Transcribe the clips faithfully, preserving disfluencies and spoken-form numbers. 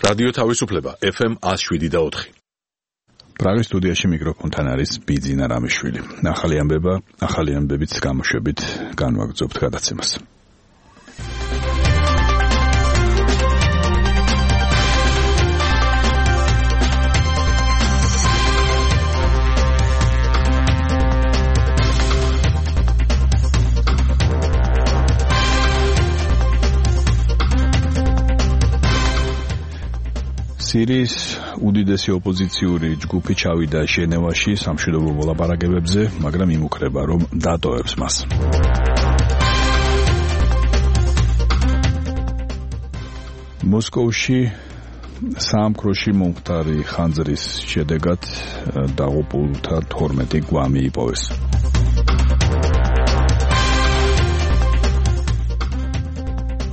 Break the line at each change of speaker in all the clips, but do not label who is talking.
რადიო თავისუფლება ეფ ემ one oh seven და four.
პრაღის სტუდიაში მიკროფონთან არის ბიძინა რამიშვილი. ახალი ამბება, ახალი ამბებით გამოშვებით განვაგრძობთ გადაცემას. სირიის უდიდესი ოპოზიციური ჯგუფი ჩავიდა ჟენევაში სამშვიდობო მოლაპარაკებებზე, მაგრამ იმუქრება, რომ დატოვებს მას. მოსკოვში საამქროში მომხდარი ხანძრის შედეგად დაღუპულთა თორმეტი გვამი იპოვეს.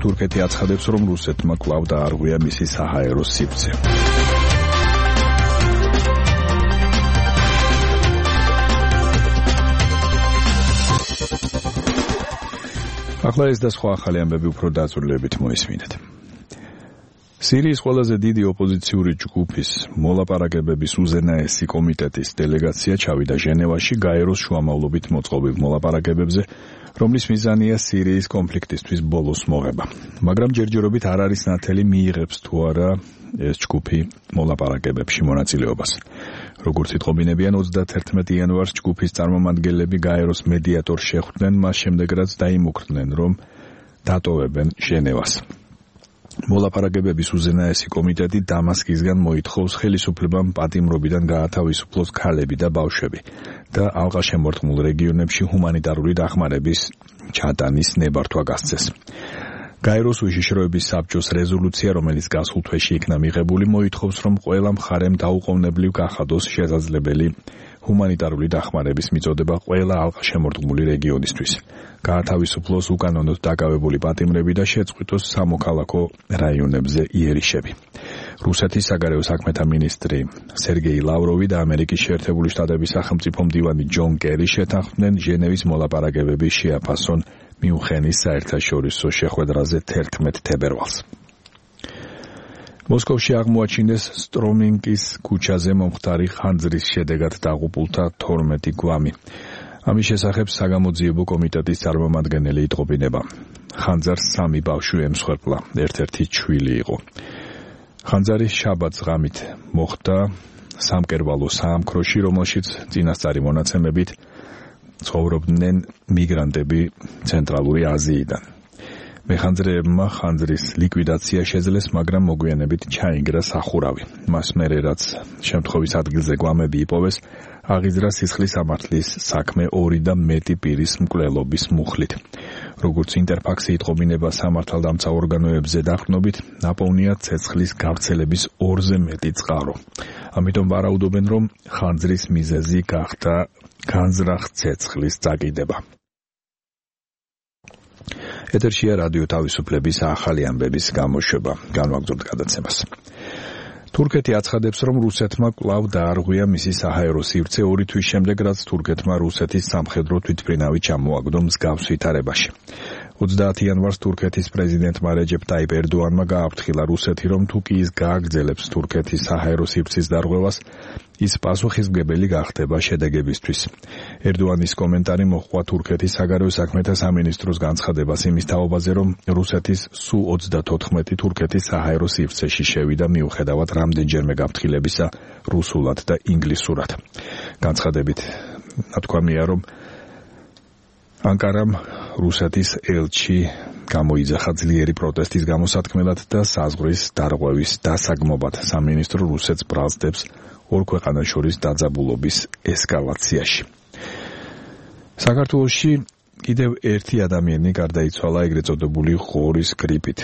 თურქეთი აცხადებს, რომ რუსეთმა კვლავ დაარღვია მისი საჰაერო სივრცე. ახლა ეს და სხვა ახალი ამბები უფრო დაწვრილებით მოისმინეთ. სირიის ყველაზე დიდი ოპოზიციური ჯგუფის მოლაპარაკებების უზენაესი კომიტეტის დელეგაცია ჩავიდა ჟენევაში გაეროს შუამავლობით მოწყობილ მოლაპარაკებებზე, რომლის მიზანია სირიის კონფლიქტისთვის ბოლოს მოღება. მაგრამ ჯერჯერობით არ არის ნათელი მიიღებს თუ არა ეს ჯგუფი მოლაპარაკებებში მონაწილეობას. როგორც იტყობინებიან, ოცდაათერთმეტი იანვარს ჯგუფის წარმომადგენლები გაეროს მედიატორს შეხვდნენ, მას შემდეგ რაც დაიმუქრდნენ, რომ დატოვებენ ჟენევას. მოლაპარაკებების უზენაესი კომიტეტი დამასკისგან მოითხოვს ხელისუფლებამ პატიმრობიდან გაათავისუფლოს ქალები და ბავშვები და ალყაშემორტყმულ რეგიონებში ჰუმანიტარული დახმარების ჩატანის ნებართვა გასცეს. გაეროს უშიშროების საბჭოს რეზოლუცია, რომელიც გასულ თვეში იქნა მიღებული, მოითხოვს, რომ ყველა მხარემ დაუყოვნებლივ გახადოს შესაძლებელი ჰუმანიტარული დახმარების მიწოდება ყველა ალყაშემორტყმული რეგიონისთვის. გაათავისუფლოს უკანონოდ დაკავებული პატიმრები და შეწყვიტოს სამოქალაქო რაიონებზე იერიშები. რუსეთის საგარეო საქმეთა მინისტრი სერგეი ლავროვი და ამერიკის შეერთებული შტატების სახელმწიფო მდივანი ჯონ კერი შეთანხმდნენ ჟენევის მოლაპარაკებების შეაფასონ მიუნხენის საერთაშორისო შეხვედრაზე თერთმეტ თებერვალს. მოსკოვში აღმოაჩინეს სტრომინკის ქუჩაზე მომხდარი ხანძრის შედეგად დაღუპულთა თორმეტი გვამი. ამის შესახებ საგამოძიებო კომიტეტის წარმომადგენელი იტყობინება. ხანძარს სამი ბავშვი ემსხვერპლა, ერთ-ერთი ჩვილი იყო. ხანძარი შაბათს ღამით მოხდა სამკერვალო საამქროში, რომელშიც წინასწარი მონაცემებით ცხოვრობდნენ მიგრანტები ცენტრალური აზიიდან. მეხანძრეებმა ხანძრის ლიკვიდაცია შეძლეს, მაგრამ მოგვიანებით ჩაინგრა სახურავი. მას მერე რაც შემთხვევის ადგილზე გვამები იპოვეს, აღიძრა სისხლის სამართლის საქმე ორი და მეტი პირის მკვლელობის მუხლით. როგორც ინტერფაქსი იტყობინება სამართალდამცა ორგანოებზე დაყრდნობით, ნაპოვნია ცეცხლის გავრცელების ორზე მეტი წყარო. ამიტომ ვარაუდობენ, რომ ხანძრის მიზეზი გახდა განზრახ ცეცხლის წაკიდება. ეთერშია რადიო თავისუფლების ახალი ამბების გამოშვება. განვაგრძობთ გადაცემას. თურქეთი აცხადებს, რომ რუსეთმა კვლავ დაარღვია მისი საჰაერო სივრცე ორი თვის შემდეგ, რაც თურქეთმა რუსეთის სამხედრო თვითმფრინავი ჩამოაგდო მსგავს ვითარებაში. ოცდაათი იანვარს თურქეთის პრეზიდენტმა რეჯეპ ტაიპ ერდოანმა გააფრთხილა რუსეთი, რომ თუ კი ის გააგრძელებს თურქეთის საჰაერო სივრცის დარღვევას, ის პასუხისმგებელი გახდება შედეგებისთვის. ერდოანის კომენტარი მოჰყვა თურქეთის საგარეო საქმეთა სამინისტროს განცხადებას იმის თაობაზე, რომ რუსეთის სუ ოცდათოთხმეტი თურქეთის საჰაერო სივრცეში შევიდა მიუხედავად რამდენჯერმე გაფრთხილებისა რუსულად და ინგლისურად. განცხადებით ნათქვამია, რომ ანკარამ რუსეთის ელჩი გამოიძახა ძლიერი პროტესტის გამოსათქმელად და საზღვრის დარღვევის დასაგმობად. სამინისტრო რუსეთს ბრალსდებს ორ ქვეყანას შორის დაძაბულობის ესკალაციაში. საქართველოში კიდევ ერთი ადამიანი გარდაიცვალა ეგრეთ წოდებული ღორის გრიპით.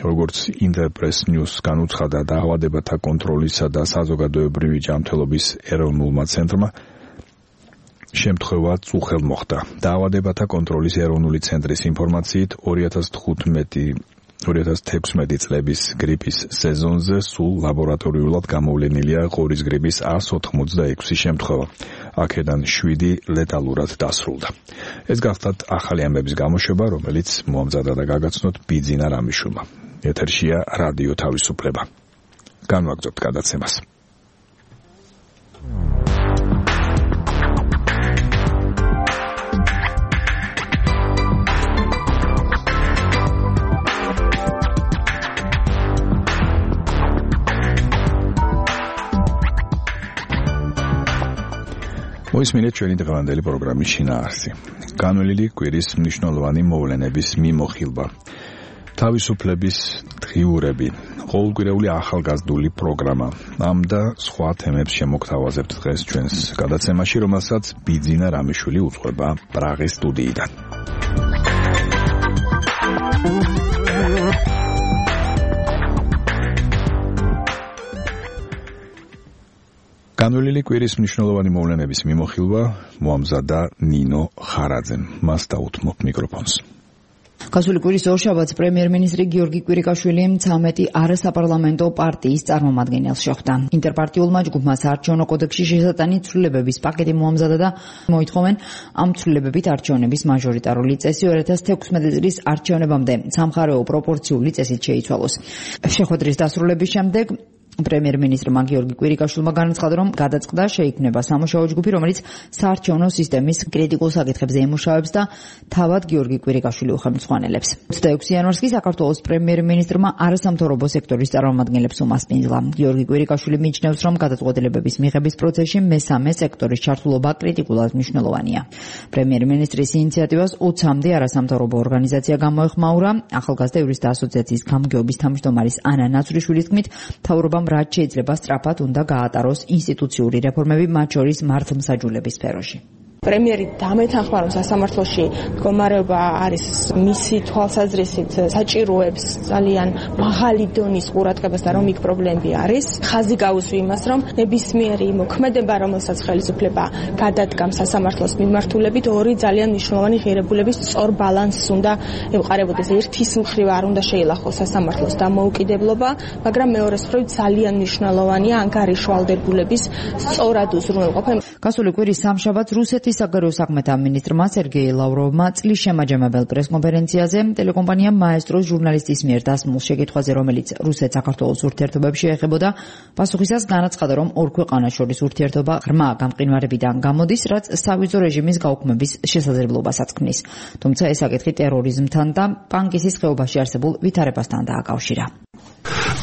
როგორც ინტერპრეს ნიუს განუცხადა დაავადებათა კონტროლისა და საზოგადოებრივი ჯანმრთელობის ეროვნულმა ცენტრმა, შემთხვევა წუხელ მოხდა. დაავადებათა კონტროლის ეროვნული ცენტრის ინფორმაციით ორი ათას თექვსმეტი წლების გრიპის სეზონზე სულ ლაბორატორიულად გამოვლენილია ღორის გრიპის ას ოთხმოცდაექვსი შემთხვევა. აქედან შვიდი ლეტალურად დასრულდა. ეს გახლდათ ახალი ამბების გამოშვება, რომელიც მომზადა და გაგაცნოთ ბიძინა რამიშვილმა. ეთერშია რადიო თავისუფლება. განვაგრძობთ გადაცემას. მოისმინეთ ჩვენი დღევანდელი პროგრამის შინაარსი. განვლილი კვირის მნიშვნელოვანი მოვლენების მიმოხილვა. თავისუფლების დღიურები, ყოველკვირეული ახალგაზრდული პროგრამა. ამ და სხვა თემებს შემოგთავაზებთ დღეს ჩვენს გადაცემაში, რომელსაც ბიძინა რამიშვილი უძღვება პრაღის სტუდიიდან. განვლილი კვირის მნიშვნელოვანი მოვლენების მიმოხილვა მოამზადა ნინო ხარაძემ. მას დაუთმობ მიკროფონს.
გასული კვირის ორშაბათს პრემიერ-მინისტრი გიორგი კვირიკაშვილი ცამეტი არასაპარლამენტო პარტიის წარმომადგენელს შეხვდა. ინტერპარტიულმა ჯგუფმა საარჩევნო კოდექსში შესატანი ცვლილებების პაკეტი მოამზადა და მოითხოვენ ამ ცვლილებებით არჩევნების მაჟორიტარული წესი ორი ათას თექვსმეტი წლის არჩევნებამდე სამხარეო პროპორციული წესით შეიცვალოს. შეხვედრის დასრულების შემდეგ პრემიერ-მინისტრმა გიორგი კვირიკაშვილმა განაცხადა, რომ გადაწყდა შეიქმნება სამუშაო ჯგუფი, რომელიც საარჩევნო სისტემის კრიტიკულ საკითხებზე იმუშავებს და თავად გიორგი კვირიკაშვილი უხელმძღვანელებს. ოცდაექვსი იანვარს კი საქართველოს პრემიერ-მინისტრმა არასამთავრობო სექტორის წარმომადგენლებს უმასპინძლა. გიორგი კვირიკაშვილი მიიჩნევს, რომ გადაწყვეტილებების მიღების პროცესში მესამე სექტორის ჩართულობა კრიტიკულად მნიშვნელოვანია. პრემიერ-მინისტრის ინიციატივას ოცამდე არასამთავრობო ორგანიზაცია გამოეხმაურა. ახალგაზრდა იურისტთა ასოციაციის გამგეობის თავმჯდომარის ანა ნაცვრიშვილის თქმით, მთავრობამ რაც შეიძლება სწრაფად უნდა გაატაროს ინსტიტუციური რეფორმები, მათ შორის მართლმსაჯულების სფეროში.
პრემიერი დამეთანხმა, რომ სასამართლოში მდგომარეობა არის მისი თვალსაზრისით საჭიროებს ძალიან მაღალი დონის ყურადღებას და რომ იქ პრობლემები არის. ხაზი გაუსვი იმას, რომ ნებისმიერი მოქმედება, რომელსაც ხელისუფლება გადადგამს სასამართლოს მიმართულებით, ორი ძალიან მნიშვნელოვანი ღირებულების სწორ ბალანსს უნდა ემყარებოდეს. ერთის მხრივ არ უნდა შეილახოს სასამართლოს დამოუკიდებლობა, მაგრამ მეორეს მხრივ ძალიან მნიშვნელოვანია ანგარიშვალდებულების სწორად უზრუნველყოფა.
გასული კვირის სამშაბათს რუსეთის საგარეო საქმეთა მინისტრმა სერგეი ლავროვმა წლის შემაჯამებელ პრესკონფერენციაზე ტელეკომპანია მაესტროს ჟურნალისტის მიერ დასმულ შეკითხვაზე, რომელიც რუსეთ-საქართველოს ურთიერთობებს შეეხებოდა, პასუხისას განაცხადა, რომ ორ ქვეყანას შორის ურთიერთობა ღრმა გამყინვარებიდან გამოდის, რაც სავიზო რეჟიმის გაუქმების შესაძლებლობასაც ქმნის. თუმცა ეს საკითხი ტერორიზმთან და პანკისის ხეობაში არსებულ ვითარებასთან დააკავშირა.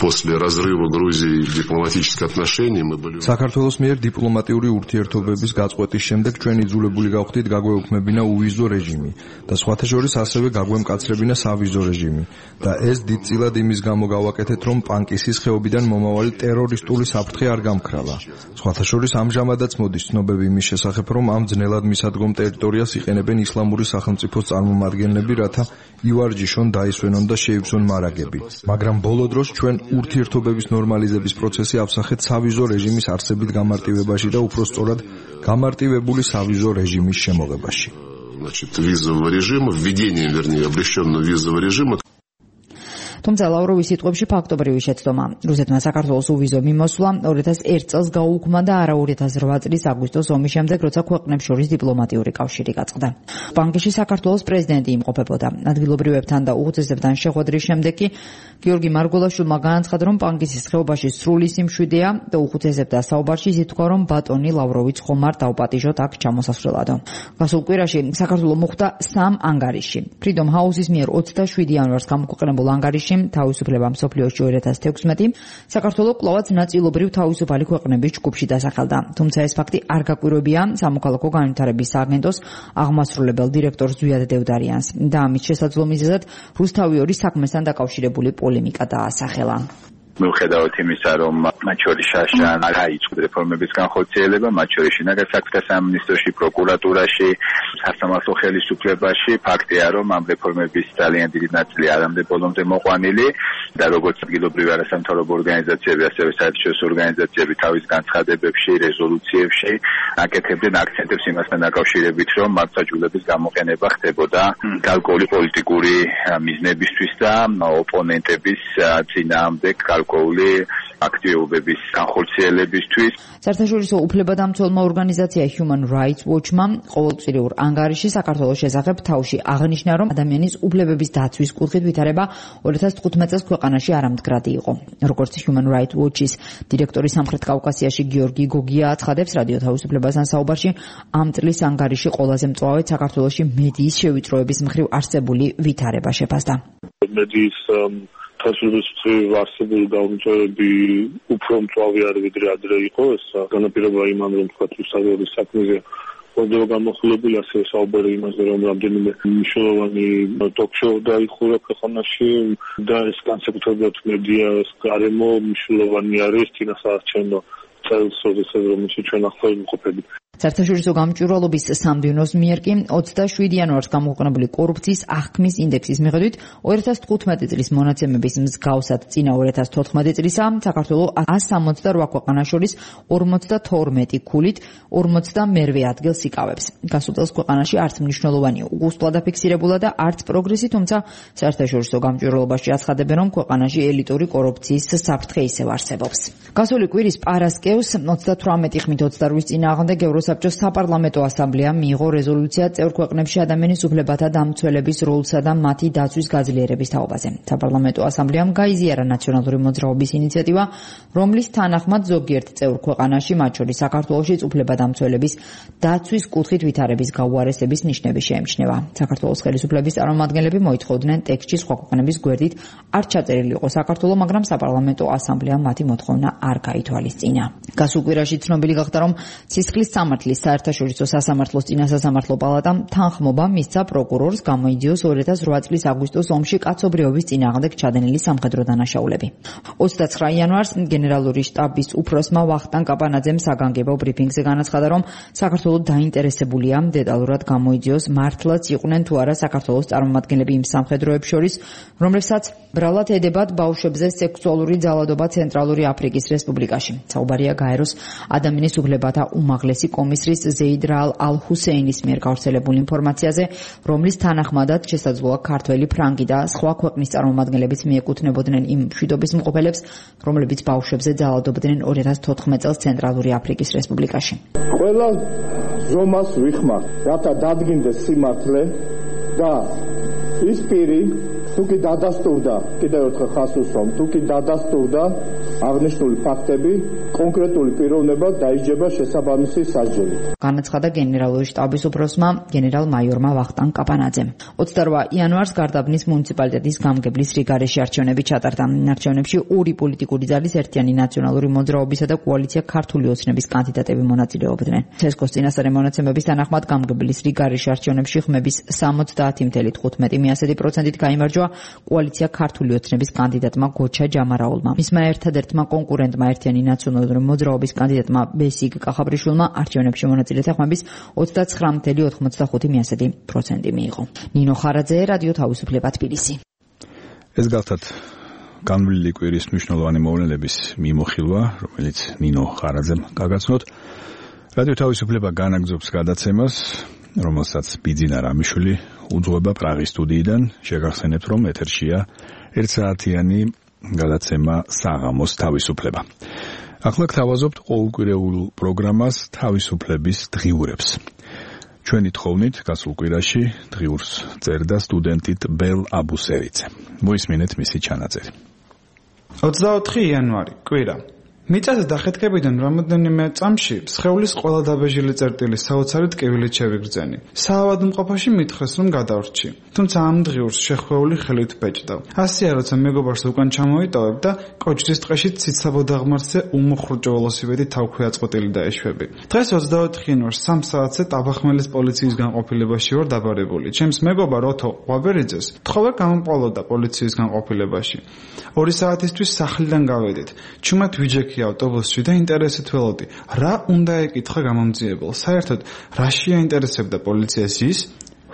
После разрыва Грузии дипломатических отношений мы были
საქართველოს მიერ დიპლომატიური ურთიერთობების გაწყვეტის შემდეგ ჩვენ იძულებული გავხდით გაგვეუქმებინა უვიზო რეჟიმი და სხვათა შორის ასევე გაგვემკაცრებინა სავიზო რეჟიმი და ეს დიდწილად იმის გამო გავაკეთეთ, რომ პანკისის ხეობიდან მომავალი ტერორისტული საფრთხე არ გამქრალა. სხვათა შორის ამჟამადაც მოდის ცნობები იმის შესახებ, რომ ამ ძნელად მისადგომ ტერიტორიას იყენებენ ისლამური სახელმწიფოს წარმომადგენლები, რათა ივარჯიშონ, დაისვენონ და შეივსონ მარაგები. მაგრამ ბოლო დროს ჩვენ ურთიერთობების ნორმალიზების პროცესი ავსახეთ სავიზო რეჟიმის არსებით გამარტივებაში და უფრო სწორად გამარტივებული სავიზო რეჟიმის შემოღებაში.
Значит, визового режима, введение, вернее, облегченного визового режима.
თუმცა ლავროვის სიტყვებში ფაქტობრივი შეცდომა. რუსეთმა საქართველოს უვიზო მიმოსვლა ორი ათას ერთ წელს გაუქმდა და არა ორი ათას რვა წლის აგვისტოს ომის შემდეგ, როცა ქვეყნებს შორის დიპლომატიური კავშირი გაწყდა. პანკისში საქართველოს პრეზიდენტი იმყოფებოდა. ადგილობრივებთან და უხუცესებთან შეხვედრის შემდეგ კი გიორგი მარგველაშვილმა განაცხადა, რომ პანკისის ხეობაში სრული სიმშვიდეა და უხუცესებთა საუბარში ითქვა, რომ ბატონი ლავროვიც ხომ არ დაუპატიჟოთ აქ ჩამოსასვლელადო. გასულ კვირაში საქართველო მოხვდა სამ ანგარიშში. Freedom House-ის მიერ ოცდაშვიდი იანვარს გამოქვეყნებულ ანგარიშში თავისუფლება მსოფლიოში ორი ათას თექვსმეტი საქართველო კვლავაც ნაწილობრივ თავისუფალი ქვეყნების ჯგუფში დასახელდა. თუმცა ეს ფაქტი არ გაკვირვებია სამოქალაქო განვითარების სააგენტოს აღმასრულებელ დირექტორს ზვიად დევდარიანს და ამის შესაძლო მიზეზად რუსთავი-ორი საქმესთან დაკავშირებული პოლემიკა დაასახელა.
მიუხედავად იმისა, რომ მათ შორის შაშან არ აიწყო რეფორმების განხორციელება, მათ შორის შინაგან საქმეთა სამინისტროში, პროკურატურაში, სასამართლო ხელისუფლებაში, ფაქტია, რომ ამ რეფორმების ძალიან დიდი ნაწილი არამდე ბოლომდე მოყვანილი და როგორც ადგილობრივი არასამთავრობო ორგანიზაციები, ასევე საერთაშორისო ორგანიზაციები თავის განცხადებებში, რეზოლუციებში აკეთებდნენ აქცენტებს იმასთან დაკავშირებით, რომ მართლმსაჯულების გამოყენება ხდებოდა გარკვეული პოლიტიკური მიზნებისთვის და ოპონენტების წინააღმდეგ გარკვეული აქტივობების განხორციელებისთვის.
საერთაშორისო უფლებადამცველმა ორგანიზაცია Human Rights Watch-მა ყოველწლიურ ანგარიში საქართველოს შესახებ თავში აღნიშნა, რომ ადამიანის უფლებების დაცვის კუთხით ვითარება ორი ათას თხუთმეტ წელს ქვეყანაში არამდგრადი იყო. როგორც Human Rights Watch-ის დირექტორი სამხრეთ კავკასიაში გიორგი გოგია აცხადებს რადიო თავისუფლებასთან საუბარში, ამ წლის ანგარიში ყველაზე მწვავედ საქართველოში მედიის შევიწროების მხრივ არსებული ვითარება შეფასდა.
მედიის თავისუფლების მხრივ არსებული გაუმჯობესებები უფრო მწვავე არის ვიდრე ადრე იყო. ეს განაპირობა იმან, რომ თქვა საერთაშორისო საქმეზე ხდება გამოხილებული, ასევე საუბარი იმაზე, რომ რამდენიმე მნიშვნელოვანი ტოქ-შოუ დაიხურა ქვეყანაში და ეს განსაკუთრებულად მედიას გარემო მნიშვნელოვანი არის წინასაარჩევნო წელს, როდესაც რომელშიც ჩვენ ახლა ვიმყოფებით.
საერთაშორისო გამჭვირვალობის სამდივნოს მიერ კი ოცდაშვიდი იანვარს გამოქვეყნებული კორუფციის აღქმის ინდექსის მიხედვით ორი ათას თხუთმეტი წლის მონაცემების მსგავსად წინა ორი ათას თოთხმეტი წლისა საქართველოს ას სამოცდა რვა ქვეყანას შორის ორმოცდათორმეტი ქულით ორმოცდამერვე ადგილს იკავებს. გასულ წელს ქვეყანაში არც მნიშვნელოვანი უგუსტლა დაფიქსირებულა და არც პროგრესი, თუმცა საერთაშორისო გამჭვირვალობაში აცხადებენ, რომ ქვეყანაში ელიტური კორუფციის საფრთხე ისევ არსებობს. გასული კვირის პარასკევს ოცდათვრამეტი ხმით ოცდარვის წინააღმდეგ ევროსაბჭოს საპარლამენტო ასამბლეამ მიიღო რეზოლუცია წევრ ქვეყნებში ადამიანის უფლებათა დამცველების როლსა და მათი დაცვის გაძლიერების თაობაზე. საპარლამენტო ასამბლეამ გაიზიარა ნაციონალური მოძრაობის ინიციატივა, რომლის თანახმად ზოგიერთ წევრ ქვეყანაში, მათ შორის საქართველოშიც უფლებადამცველების დაცვის კუთხით ვითარების გაუარესების ნიშნები შეემჩნევა. საქართველოს ხელისუფლების წარმომადგენლები მოითხოვდნენ ტექსტში სხვა ქვეყნების გვერდით არ ჩაწერილი იყო საქართველო, მაგრამ საპარლამენტო ასამბლეამ მათი მოთხოვნა არ გაითვალისწინა. გასულ კვირაში ცნობილი გახდა, რომ ცისხლის სამართლის საერთაშორისო სასამართლოს წინასასამართლო პალატამ თანხმობა მისცა პროკურორს გამოიძიოს ორი ათას რვა წლის აგვისტოს ომში კაცობრიობის წინააღმდეგ ჩადენილი სამხედრო დანაშაულები. ოცდაცხრა იანვარს გენერალური შტაბის უფროსმა ვახტანგ კაპანაძემ საგანგებო ბრიფინგზე განაცხადა, რომ საქართველოს დაინტერესებულია დეტალურად გამოიძიოს მართლაც იყვნენ თუ არა საქართველოს წარმომადგენლები იმ სამხედროებს შორის, რომლებსაც ბრალად ედებათ ბავშვებზე სექსუალური ძალადობა ცენტრალური აფრიკის რესპუბლიკაში. საუბარია გაეროს ადამიანის უფლებათა უმაღლესი კომისრის ზეიდ რაალ ალ-ჰუსეინის მიერ გავრცელებულ ინფორმაციაზე, რომლის თანახმადაც შესაძლოა ქართველი, ფრანგი და სხვა ქვეყნის წარმომადგენლებიც მიეკუთვნებოდნენ იმ მშვიდობის მყოფელებს, რომლებიც ბავშვებზე ძალადობდნენ ორი ათას თოთხმეტ წელს ცენტრალური აფრიკის რესპუბლიკაში.
ყველა ზომას ვიხმართ, რათა დადგინდეს სიმართლე და ის პირი თუკი დადასტურდა, კიდევ ერთხელ ხაზს უსვამ, თუკი დადასტურდა აღნიშნული ფაქტები, კონკრეტული პიროვნება დაიჯება შესაბამისი სასჯელით.
განაცხადა გენერალური შტაბის უფროსმა გენერალ-მაიორმა ვახტანგ კაპანაძემ. ოცდარვა იანვარს გარდაბნის მუნიციპალიტეტის გამგებლის რიგარეში არჩევნები ჩატარდა. არჩევნებში ორი პოლიტიკური ძალის ერთიანი ნაციონალური მოძრაობისა და კოალიცია ქართული ოცნების კანდიდატები მონაწილეობდნენ. ცესკოს წინასწარი მონაცემების თანახმად გამგებლის რიგარეში არჩევნებში ხმების სამოცდაათი თხუთმეტი პროცენტით გაიმარჯვა კოალიცია ქართული ოცნების კანდიდატმა გოჩა ჯამარაულმა. მისმა ერთადერთმა კონკურენტმა ერთიანი ნაციონალური მოძრაობის კანდიდატმა ბესიგ კახაბრიშვილმა არჩევნებში მონაწილეთა ხმების ოცდაცხრა ათეული ოცდახუთი პროცენტი მიიღო. ნინო ხარაძე, რადიო თავისუფლება, თბილისი.
ეს გახლავთ განვლილი კვირის მნიშვნელოვანი მოვლენების მიმოხილვა, რომელიც ნინო ხარაძემ გაგაცნოთ. რადიო თავისუფლება განაგზობს გადაცემას, რომელსაც ბიძინა რამიშვილი უძღვება პრაღის სტუდიიდან. შეგახსენებთ, რომ ეთერშია ერთსაათიანი გადაცემა საღამოს თავისუფლება. ახლა გთავაზობთ ყოველკვირეულ პროგრამას თავისუფლების დღიურებს. ჩვენი თხოვნით გასულ კვირაში დღიურს წერდა სტუდენტით ბელ აბუსერიძე. მოისმინეთ მისი ჩანაწერი.
ოცდაოთხი იანვარი, კვირა. მიწაზე დახეთქებიდან რამოდენიმე წამში სხეულის ყველა დაბეჟილი წერტილი საოცარი ტკივილით შევიგრძენი. საავადმყოფოში მითხრეს, რომ გადავრჩი. თუმცა ამ დღიურს შეხვეული ხელით ბეჭდა. ასეა, როცა მეგობარს უკან ჩამოიტოვებ და კოჭრის ტყეში ციცაბო დაღმართზე უმოხრუჭო ველოსიპედი თავქვე აწყვეტილი დაეშვები. დღეს ოცდაოთხი იანვარს სამ საათზე ტაბახმელის პოლიციის განყოფილებაში ვარ დაბარებული. ჩემს მეგობარ ოთო ყვაბერიძეს თხოვე გამომყოლოდა პოლიციის განყოფილებაში. ორი საათისთვის სახლიდან გავედით. ჩუმად ვიჯექი ავტობუსში და ინტერესით ველოდი, რა უნდა ეკითხა გამომძიებელს. საერთოდ რა შეაინტერესებდა პოლიციას ის,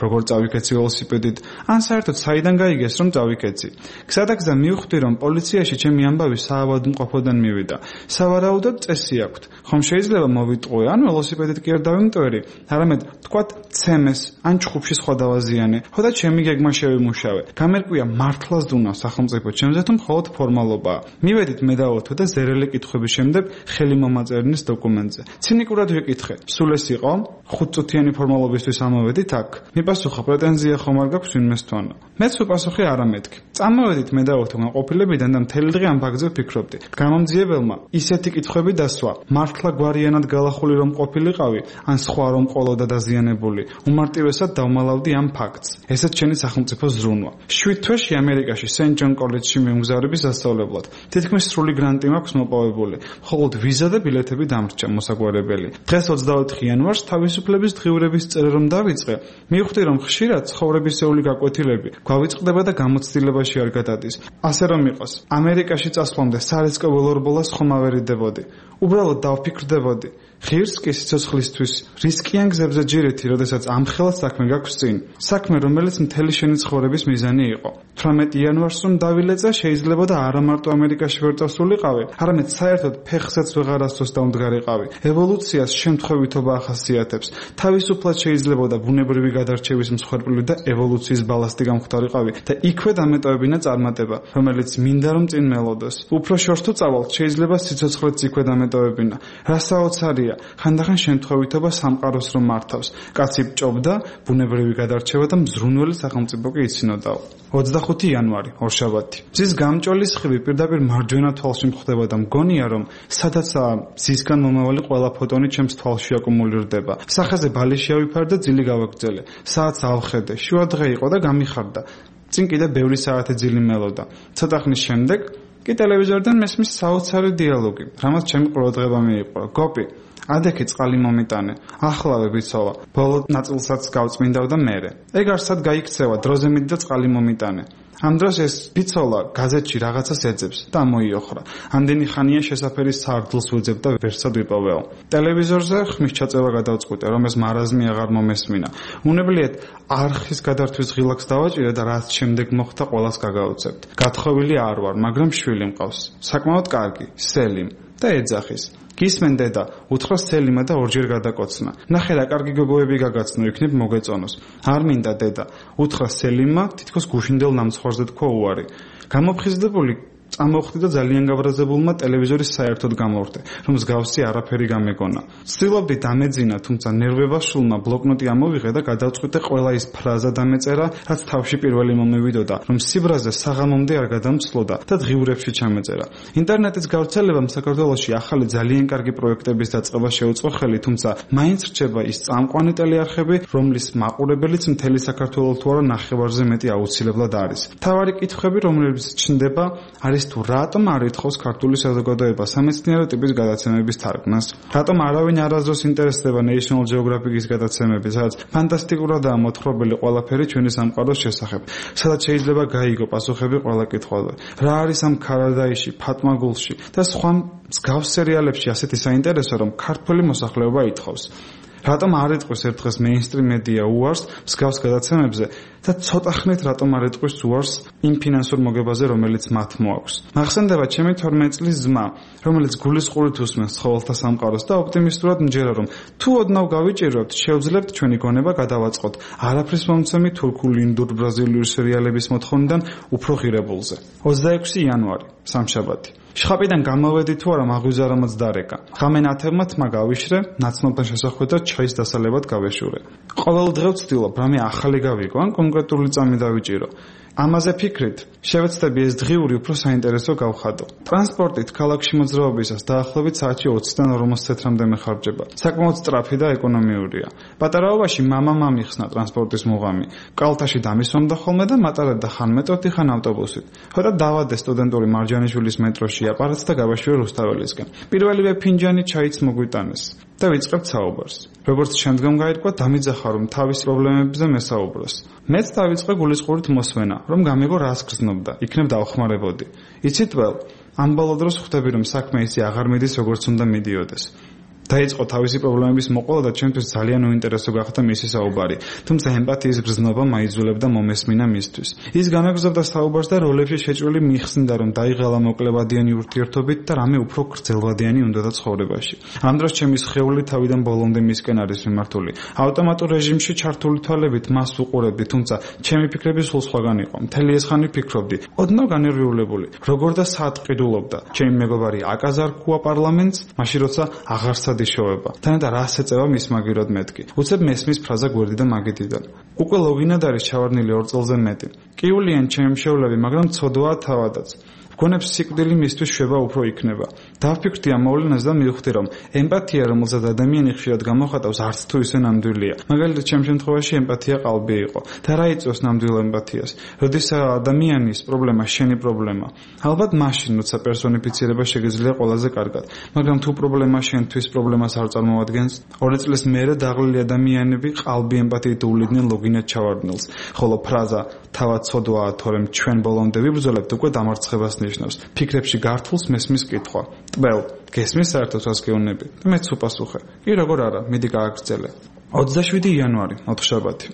როგორ წავიქეცი ველოსიპედით, ან საერთოდ საიდან გაიგეს რომ წავიქეცი. გზადაგზა მივხვდი რომ პოლიციაში ჩემი ამბავი საავადმყოფოდან მივიდა. სავარაუდოდ წესი აქვთ. ხომ შეიძლება მოვიტყვე, ან ველოსიპედით კი არ დავიმტვერი, არამედ თქვათ ცემეს, ან ჩხუბში სხვა დავაზიანე, ხოდა ჩემი გეგმა შევიმუშავე. გამერკვია მართლაც დუნა სახელმწიფო ჩემზე თუ მხოლოდ ფორმალობაა. მივედით მე და ოთო და ზერელი კითხვების შემდეგ ხელი მომაწერნის დოკუმენტზე. ცინიკურად ვიკითხე, სულ ეს იყო? ხუთწუთიანი ფორმალობისთვის ამოვედით აქ. მიპასუხა, პრეტენზია ხომ არ გაქვს ვინმესთვანო. მეც უპასუხი არა მეთქი. წამოვედით მე და ოთო განყოფილებიდან და მთელი დღე ამ ფაქტზე ვფიქრობდი. გამომძიებელმა ისეთი კითხვები დასვა, მართლა გვარიანად გალახული რომ ყოფილიყავი, ან სხვა რომ ყოლოდა დაზიანებული. უმარტივესად დავმალავდი ამ ფაქტს. ესეც ჩემი სახელმწიფო ზრუნვა. შვიდ თვეში ამერიკაში სენ ჯონ კოლეჯში მიმგზავრების სასწავლებლად. თითქმის სრული გრანტი მაქვს მოპოვებული. მხოლოდ ვიზა და ბილეთები დამრჩა მოსაგვარებელი. დღეს ოცდაოთხი იანვარს თავისუფლების დღიურების წერა რომ დავიწყე, მივხვდი რომ ხშირად ცხოვრებისეული გაკვეთილები გვავიწყდება და გამოცდილებაში არ გადადის. ასე რომ იყოს, ამერიკაში წასვლამდე სარისკო ველორბოლას ხომ ავერიდებოდი. უბრალოდ დავფიქრდებოდი. ღირს კი სიცოცხლისთვის რისკიან გზებზე ჯირითი, როდესაც ამხელა საქმე გაქვს წინ. საქმე, რომელიც მთელი შენი ცხოვრების მიზანი იყო. თვრამეტი იანვარს რომ დავილეწა, შეიძლება და არა მარტო ამერიკაში ვერ წასულიყავი, არამედ საერთოდ ფეხსაც ვეღარასდროს დავმდგარიყავი. ევოლუციას შემთხვევითობა ახასიათებს. თავისუფლად შეიძლება და ბუნებრივი გადარჩევის მსხვერპლი და ევოლუციის ბალასტი გამختارიყავი და იქვე დამეტოვებინა წარმატება, რომელიც მინდა რომ წინ მელოდოს. უფრო შორს თუ წავალთ, შეიძლება სიცოცხლეც იქვე დამეტოვებინა. რა საოცარია, ხანდახან შემთხვევითობა სამყაროს რომ მართავს. კაცი ბჭობდა, ბუნებრივი გადარჩევა და მზრუნველი სახელმწიფო კი იცინოდაო. ოცდახუთი იანვარი, ორშაბათი. მზის გამჭოლის ხივი პირდაპირ მარჯვენა თვალში მხდება და მგონია რომ სადაცაა მზისგან მომავალი ყველა ფოტონი ჩემს თვალში აკუმულირდება. სახაზე ბალიში ავიფარე და ძილი გავაგრძელე. საათს ავხედე, შუა დღე იყო და გამიხარდა. წინ კიდე ბევრი საათი ძილი მელოდა. ცოტა ხნის შემდეგ კი ტელევიზორიდან მესმის საოცარი დიალოგი, რამაც ჩემი ყურადღება მიიპყრო. გოპი, ადექი წყალი მომიტანე, ახლავე ვიცოლა, ბოლო ნაწილსაც გავწმინდავ და მერე. ეგ არსად გაიქცევა, დროზე მიდი და წყალი მომიტანე. ამ დროს ეს ბიცოლა გაზეთში რაღაცას ეძებს და მოიოხრა. ამდენი ხანია შესაფერის სარდლს ვეძებ და ვერსად ვიპოვეო. ტელევიზორზე ხმის ჩაწევა გადავწყვიტე, რომ ეს მარაზმი აღარ მომესმინა. უნებლიეთ არხის გადართვის ღილაკს დავაჭირე და რაც შემდეგ მოხდა ყველას გაგაუცებთ. გათხოვილი არ ვარ, მაგრამ შვილი მყავს. საკმაოდ კარგი, სელიმ და ეძახის. გისმენ დედა, უთხრა სელიმა და ორჯერ გადაკოცნა. ნახე რა კარგი გოგოები გაგაცნო, იქნებ მოგეწონოს. არ მინდა დედა, უთხრა სელიმმა, თითქოს გუშინდელ ნამცხვარზე თქვა უარი. გამოფხიზდებული წამოვხდი და ძალიან გაბრაზებულმა ტელევიზორის საერთოდ გამოვხდი, რომ მსგავსი არაფერი გამეგონა. ვცდილობდი დამეძინა, თუმცა ნერვებაშულმა ბლოკნოტი ამოვიღე და გადავწყვიტე ყველა ის ფრაზა დამეწერა, რაც თავში პირველი მომივიდოდა, რომ სიბრაზე საღამომდე არ გადამცლოდა და დღიურებში ჩამეწერა. ინტერნეტის გავრცელებამ საქართველოში ახალი ძალიან კარგი პროექტების დაწყება შეუწყო ხელი, თუმცა მაინც რჩება ის წამყვანი ტელეარხები, რომლის მაყურებელიც მთელი საქართველოს თუ არა ნახევარზე მეტი აუცილებლად არის. მთავარი კითხვები, რომლებიც ჩნდება, არის თუ რატომ არ ითხოვს ქართული საზოგადოება სამეცნიერო ტიპის გადაცემების თარგმნას? რატომ არავინ არასდროს ინტერესდება National Geographic-ის გადაცემებით, სადაც ფანტასტიკურადაა მოთხრობილი ყველაფერი ჩვენი სამყაროს შესახებ, სადაც შეიძლება გაიგო პასუხები ყველა კითხვაზე. რა არის ამ ქარადაიში, ფატმაგულში და სხვა მსგავს სერიალებში ასეთი საინტერესო, რომ ქართული მოსახლეობა ითხოვს? რატომ არ იტყვის ერთხელ მეინსტრიმ მედია უარს მსგავს გადაცემებზე და ცოტა ხნით რატომ არ იტყვის უარს იმ ფინანსურ მოგებაზე, რომელიც მათ მოაქვს? მახსენდება ჩემი თორმეტი წლის ძმა, რომელიც გულისყურით უსმენს ცხოველთა სამყაროს და ოპტიმისტურად მჯერა, რომ თუ ოდნავ გავიჭირებთ, შევძლებთ ჩვენი გონება გადავაწყოთ არაფრის მომცემი თურქული, ინდურ, ბრაზილიური სერიალების მოთხოვნიდან უფრო ღირებულზე. ოცდაექვსი იანვარი, სამშაბათი. შხაპიდან გამოვედი თუ არა მაღვიზარამაც დარეკა. ღამე ნათებმა თმა გავიშრე, ნაცნობთან შესახვედრად ჩაის დასალებად გავეშურე. ყოველ დღე ვცდილობ რამე ახალი გავიგო, ან კონკრეტული წამი დავიჭირო. ამაზე ფიქრით, შევეცდები ეს დღიური უფრო საინტერესო გავხადო. ტრანსპორტით ქალაქში მოძრაობისას დაახლოებით საათში ოცდან ორმოცი ცენტრამდე მეხარჯება. საკმაოდ სწრაფი და ეკონომიურია. პატარაობაში მამამ ამიხსნა ტრანსპორტის მუღამი. კალთაში დამისვამდა ხოლმე და მატარებდა ხან მეტროთი, ხან ავტობუსით. ხოდა დავადე სტუდენტური მარჯანიშვილის მეტროში აპარატს და გავაშვი რუსთაველისკენ. პირველივე ფინჯანი ჩაიც მოგვიტანეს და ვიწყებთ საუბარს. როგორც შემდგომ გაირკვა, დამიძახა რომ თავის პრობლემებზე მესაუბროს. მეც დავიწყე გულისყურით მოსვენა, რომ გამეგო რას გრძნობდა, იქნებ დავხმარებოდი. იცით ველს, ამ ბოლო დროს ხვდები რომ საქმე ისე აღარ მიდის როგორც უნდა მიდიოდეს. დაიწყო თავისი პრობლემების მოყოლა და ჩემთვის ძალიან უინტერესო გახდა მისი საუბარი. თუმცა ემპათიის გრძნობა მაიძულებდა მომესმინა მისთვის. ის განაგრძობდა საუბარს და როლებში შეჭრილი მიხსნიდა, რომ დაიღალა მოკლებადიანი ურთიერთობით და რამე უფრო გრძელვადიანი უნდადა ცხოვრებაში. ამ დროს ჩემი სხეული თავიდან ბოლომდე მისკენ არის მიმართული. ავტომატურ რეჟიმში ჩართული თვალებით მას უყურებდი, თუმცა ჩემი ფიქრები სულ სხვაგან იყო. მთელი ეს ხანი ფიქრობდი, ოდნავ განერვიულებული, როგორ და სად ყიდულობდა. ჩემი მეგობარი აკაზარ ქუა პარლამენტს, მაშინ როცა აღარ დიშოვება. თანადა რას ეწევა მის მაგირად მეთქი. უცებ მესმის ფრაზა გვერდი და მაგიდიდან. უკვე ლოგინად არის ჩავარდნილი ორ წელზე მეტი. კიულიან ჩემი მშევლები, მაგრამ ცოდვაა თავადაც. გონებს სიკვდილი მისთვის შვება უფრო იქნება. დავფიქრდი ამ მოვლენას და მივხვდი, რომ ემპათია, რომელზეც ადამიანი ხშირად გამოხატავს, არც თუ ისე ნამდვილია. მაგალითად, ჩემ შემთხვევაში ემპათია ყალბი იყო. და რა იწვევს ნამდვილ ემპათიას? როდესაც ადამიანის პრობლემა შენი პრობლემა. ალბათ მაშინ, როცა პერსონიფიცირება შეგიძლია ყველაზე კარგად. მაგრამ თუ პრობლემა შენთვის პრობლემას არ წარმოადგენს, ორი წლის მერე დაღლილი ადამიანები ყალბი ემპათიით უვლიდნენ ლოგინად ჩავარდნილს. ხოლო ფრაზა თავად ცოდვაა, თორემ ჩვენ ბოლომდე ვიბრძოლებთ უკვე დამარცხებას ნიშნავს. ფიქრებში გართულს მესმის კითხვა. ტბელ, გესმის საერთოდ რას გეუბნები? და მეც უპასუხე. კი როგორ არა, მიდი გააგრძელე. ოცდაშვიდი იანვარი, ოთხშაბათი.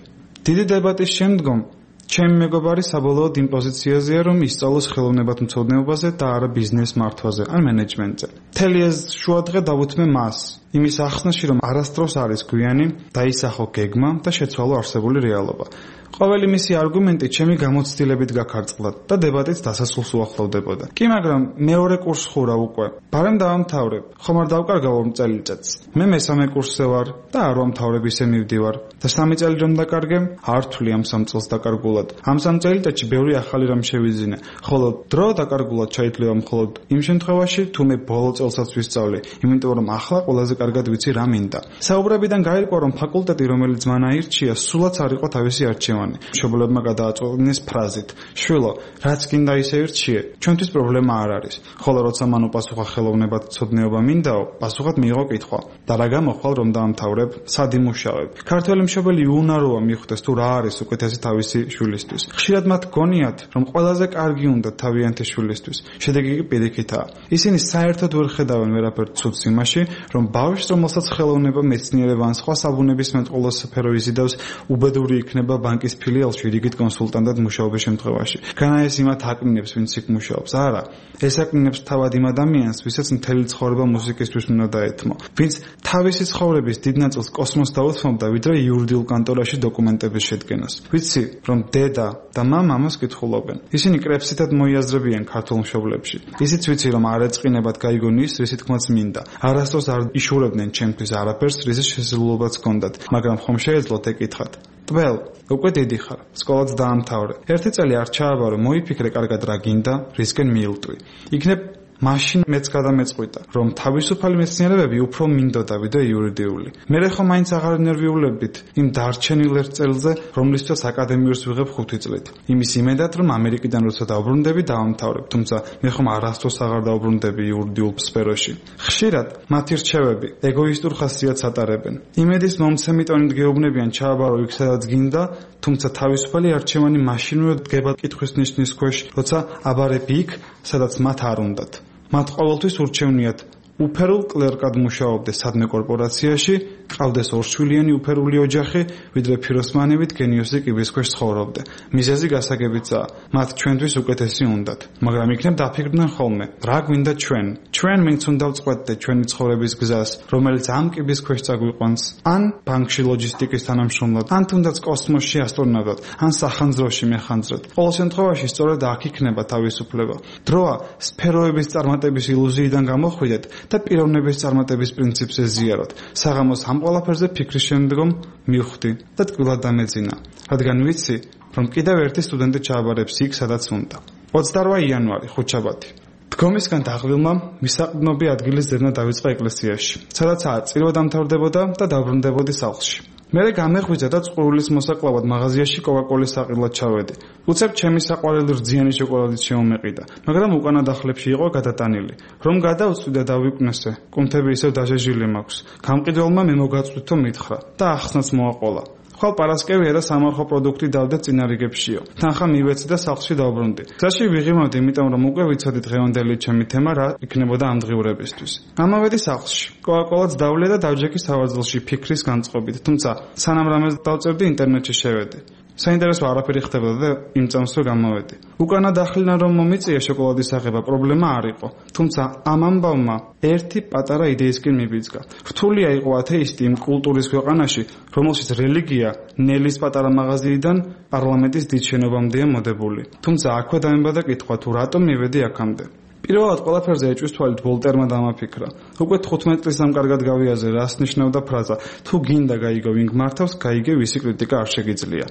დიდი დებატის შემდგომ ჩემი მეგობარი საბოლოოდ იმ პოზიციაზეა, რომ ისწავლოს ხელოვნებათმცოდნეობაზე და არა ბიზნეს მართვაზე ან მენეჯმენტზე. მთელი ეს შუადღე დავუთმე მას, იმის ახსნაში, რომ არასდროს არის გვიანი, დაისახო გეგმა და შეცვალო არსებული რეალობა. ყოველი მისი არგუმენტი ჩემი გამოცდილებით გაქარწყდა და დებატიც დასასრულს უახლოვდებოდა. კი, მაგრამ მეორე კურსს ხურა უკვე. ბარემ დავამთავრებ. ხომ არ დავკარგავ ორ წელიწადს. მე მესამე კურსზე ვარ და არ ვამთავრებ ისე მივდივარ. და სამი წელი რომ დაკარგემ, არ ვთვლი ამ სამ წელს დაკარგულად. ამ სამ წელიწადში ბევრი ახალი რამ შევიძინე. ხოლო დრო დაკარგულად შეიძლება მხოლოდ იმ შემთხვევაში, თუ მე ბოლო წელსაც ვისწავლე, იმიტომ რომ ახლა ყველაზე კარგად ვიცი რა მინდა. საუბრებიდან გაირკვა, რომ ფაკულტეტი, რომელიც მან აირჩია, სულაც არ იყო თავისი არჩევანი. მშობლებმა გადააწყვეტინეს ფრაზით: "შვილო, რაც გინდა ისე ირჩიე, ჩვენთვის პრობლემა არ არის." ხოლო როცა მან უპასუხა ხელოვნებათმცოდნეობა მინდაო, პასუხად მიიღო კითხვა: "და რა გამოხვალ რომ დაამთავრებ? სად იმუშავებ?" ქართველი მშობელი უნაროა მიხვდეს თუ რა არის უკეთესი თავისი შვილისთვის. ხშირად მათ გონიათ, რომ ყველაზე კარგი უნდა თავიანთი შვილისთვის. შედეგი კი პირიქითაა. ისინი საერთოდ ვერ ხედავენ ვერაფერ ცუდს იმაში, რომ ბავშვს, რომელსაც ხელოვნება, მეცნიერება ან სხვა საბუნებისმეტყველო სფერო იზიდავს, უბედური იქნება ბანკის ფილიალში რიგით კონსულტანტად მუშაობის შემთხვევაში. განა ეს იმათ აკნინებს, ვინც იქ მუშაობს? არა. ეს აკნინებს თავად იმ ადამიანს, ვისაც მთელი ცხოვრება მუსიკისთვის უნდა დაეთმო. ვინც თავისი ცხოვრების დიდ ნაწილს კოსმოსს დაუთმობდა, ვიდრე იურიდიულ კანტორაში დოკუმენტების შედგენას. ვიცი, რომ დედა და მამა ამას კითხულობენ. ისინი კრებსითად მოიაზრებიან ქართულ მშობლებში. ისიც ვიცი, რომ არ ეწყინებათ გაიგონ ის, რისი თქმაც მინდა. არასდროს არ იშურებდნენ ჩემთვის არაფერს, რის შესაძლებლობაც ჰქონდათ, მაგრამ ხომ შეეძლოთ ეკითხათ? ტბელ, უკვე დიდი ხარ, სკოლაც დაამთავრე. ერთი წელი არ ჩააბარო, მოიფიქრე კარგად რა გინდა, რისკენ მიილტვი. იქნებ მაშინ მეც გადამეწყვიტა, რომ თავისუფალი მეცნიერებები უფრო მინდოდა ვიდრე იურიდიული. მე ხომ მაინც აღარ ნერვიულებით იმ დარჩენილ ერთ წელზე, რომლისთვისაც აკადემიურს ვიღებ ხუთი წლით. იმის იმედად, რომ ამერიკიდან როცა დავბრუნდები, დავამთავრებ, თუმცა მე ხომ არასდროს აღარ დავბრუნდები იურიდიულ სფეროში. ხშირად მათი რჩევები ეგოისტურ ხასიათს ატარებენ. იმედის მომცემი ტონით გეუბნებიან ჩააბარო იქ, სადაც გინდა, თუმცა თავისუფალი არჩევანი მაშინვე დგება კითხვის ნიშნის ქვეშ, როცა აბარებ იქ, სადაც მათ არ უნდათ. მათ ყოველთვის ურჩევნიათ უფერულ კლერკად მუშაობდე სადმე კორპორაციაში, ყავდეს ორშვილიანი უფერული ოჯახი, ვიდრე ფიროსმანივით გენიოსი კიბის ქვეშ ცხოვრობდე. მიზეზი გასაგებიცაა, მათ ჩვენთვის უკეთესი უნდათ. მაგრამ იქნებ დაფიქრდნენ ხოლმე, რა გვინდა ჩვენ? ჩვენ ვინც უნდა ვწყვეტდე ჩვენი ცხოვრების გზას, რომელიც ამ კიბის ქვეშ წაგვიყვანს, ან ბანკში ლოჯისტიკის თანამშრომლად, ან თუნდაც კოსმოსში ასტრონავტად, ან სახანძროში მეხანძრად. ყოველ შემთხვევაში სწორედ აქ იქნება თავისუფლება. დროა სფეროების წარმატების ილუზიიდან გამოხვიდეთ და პიროვნების წარმატების პრინციპს ეზიაროთ. საღამოს ამ ყველაფერზე ფიქრის შემდგომ მივხვდი და ტკბილად დამეძინა, რადგან ვიცი, რომ კიდევ ერთი სტუდენტი ჩააბარებს იქ, სადაც უნდა. ოცდაორ იანვარი, ხუთშაბათი. დგომისგან დაღლილმა მისაყრდნობი ადგილის ძებნა დავიწყა ეკლესიაში, სადაც აწირვა დამთავრდებოდა და დაბრუნდებოდი სახლში. მერე გამეღვიძა და წყურულის მოსაკლავად მაღაზიაში კოკაკოლის საყიდლად ჩავედი. უცებ ჩემი საყვარელი რძიანი შოკოლადით შემომეყიდა, მაგრამ უკანა დახლებში იყო გადატანილი. რომ გადავწვი და დავიკვნესე, კუნთები ისევ დაჟეჟილი მაქვს. გამყიდველმა მე მოგაწვდითო მითხრა და ახსნაც მოაყოლა. ხვალ პარასკევია და სამარხო პროდუქტი დავდე წინარიგებშიო. თანხა მივეცი და სახლში დავბრუნდი. გზაში ვიღიმავდი, იმიტომ რომ უკვე ვიცოდი დღევანდელი ჩემი თემა რა იქნებოდა ამ დღიურებისთვის. ამავედი სახლში. კოაკოლაც დავლე და დავჯექი სავარძელში ფიქრის განწყობით. თუმცა სანამ რამეს დავწერდი, ინტერნეტში შევედი. საინტერესო არაფერი ხდებოდა და იმ წამს რო გამოვედი. უკანა დახლინა რომ მომიწია შოკოლადის აღება, პრობლემა არ იყო. თუმცა ამ ამბავმა ერთი პატარა იდეისკენ მიბიძგა. რთულია იყო ათეისტი იმ კულტურის ქვეყანაში, რომელშიც რელიგია ნელის პატარა მაღაზიიდან პარლამენტის დიდ შენობამდეა მოდებული. თუმცა აქვე დამებადა კითხვა თუ რატომ მივედი აქამდე. პირველად ყველაფერზე ეჭვის თვალით ვოლტერმა დამაფიქრა. უკვე თხუთმეტ წლის ამ კარგად გავიაზე, რას ნიშნავდა ფრაზა: თუ გინდა გაიგო ვინ გმართავს, გაიგე ვისი კრიტიკა არ შეგიძლია.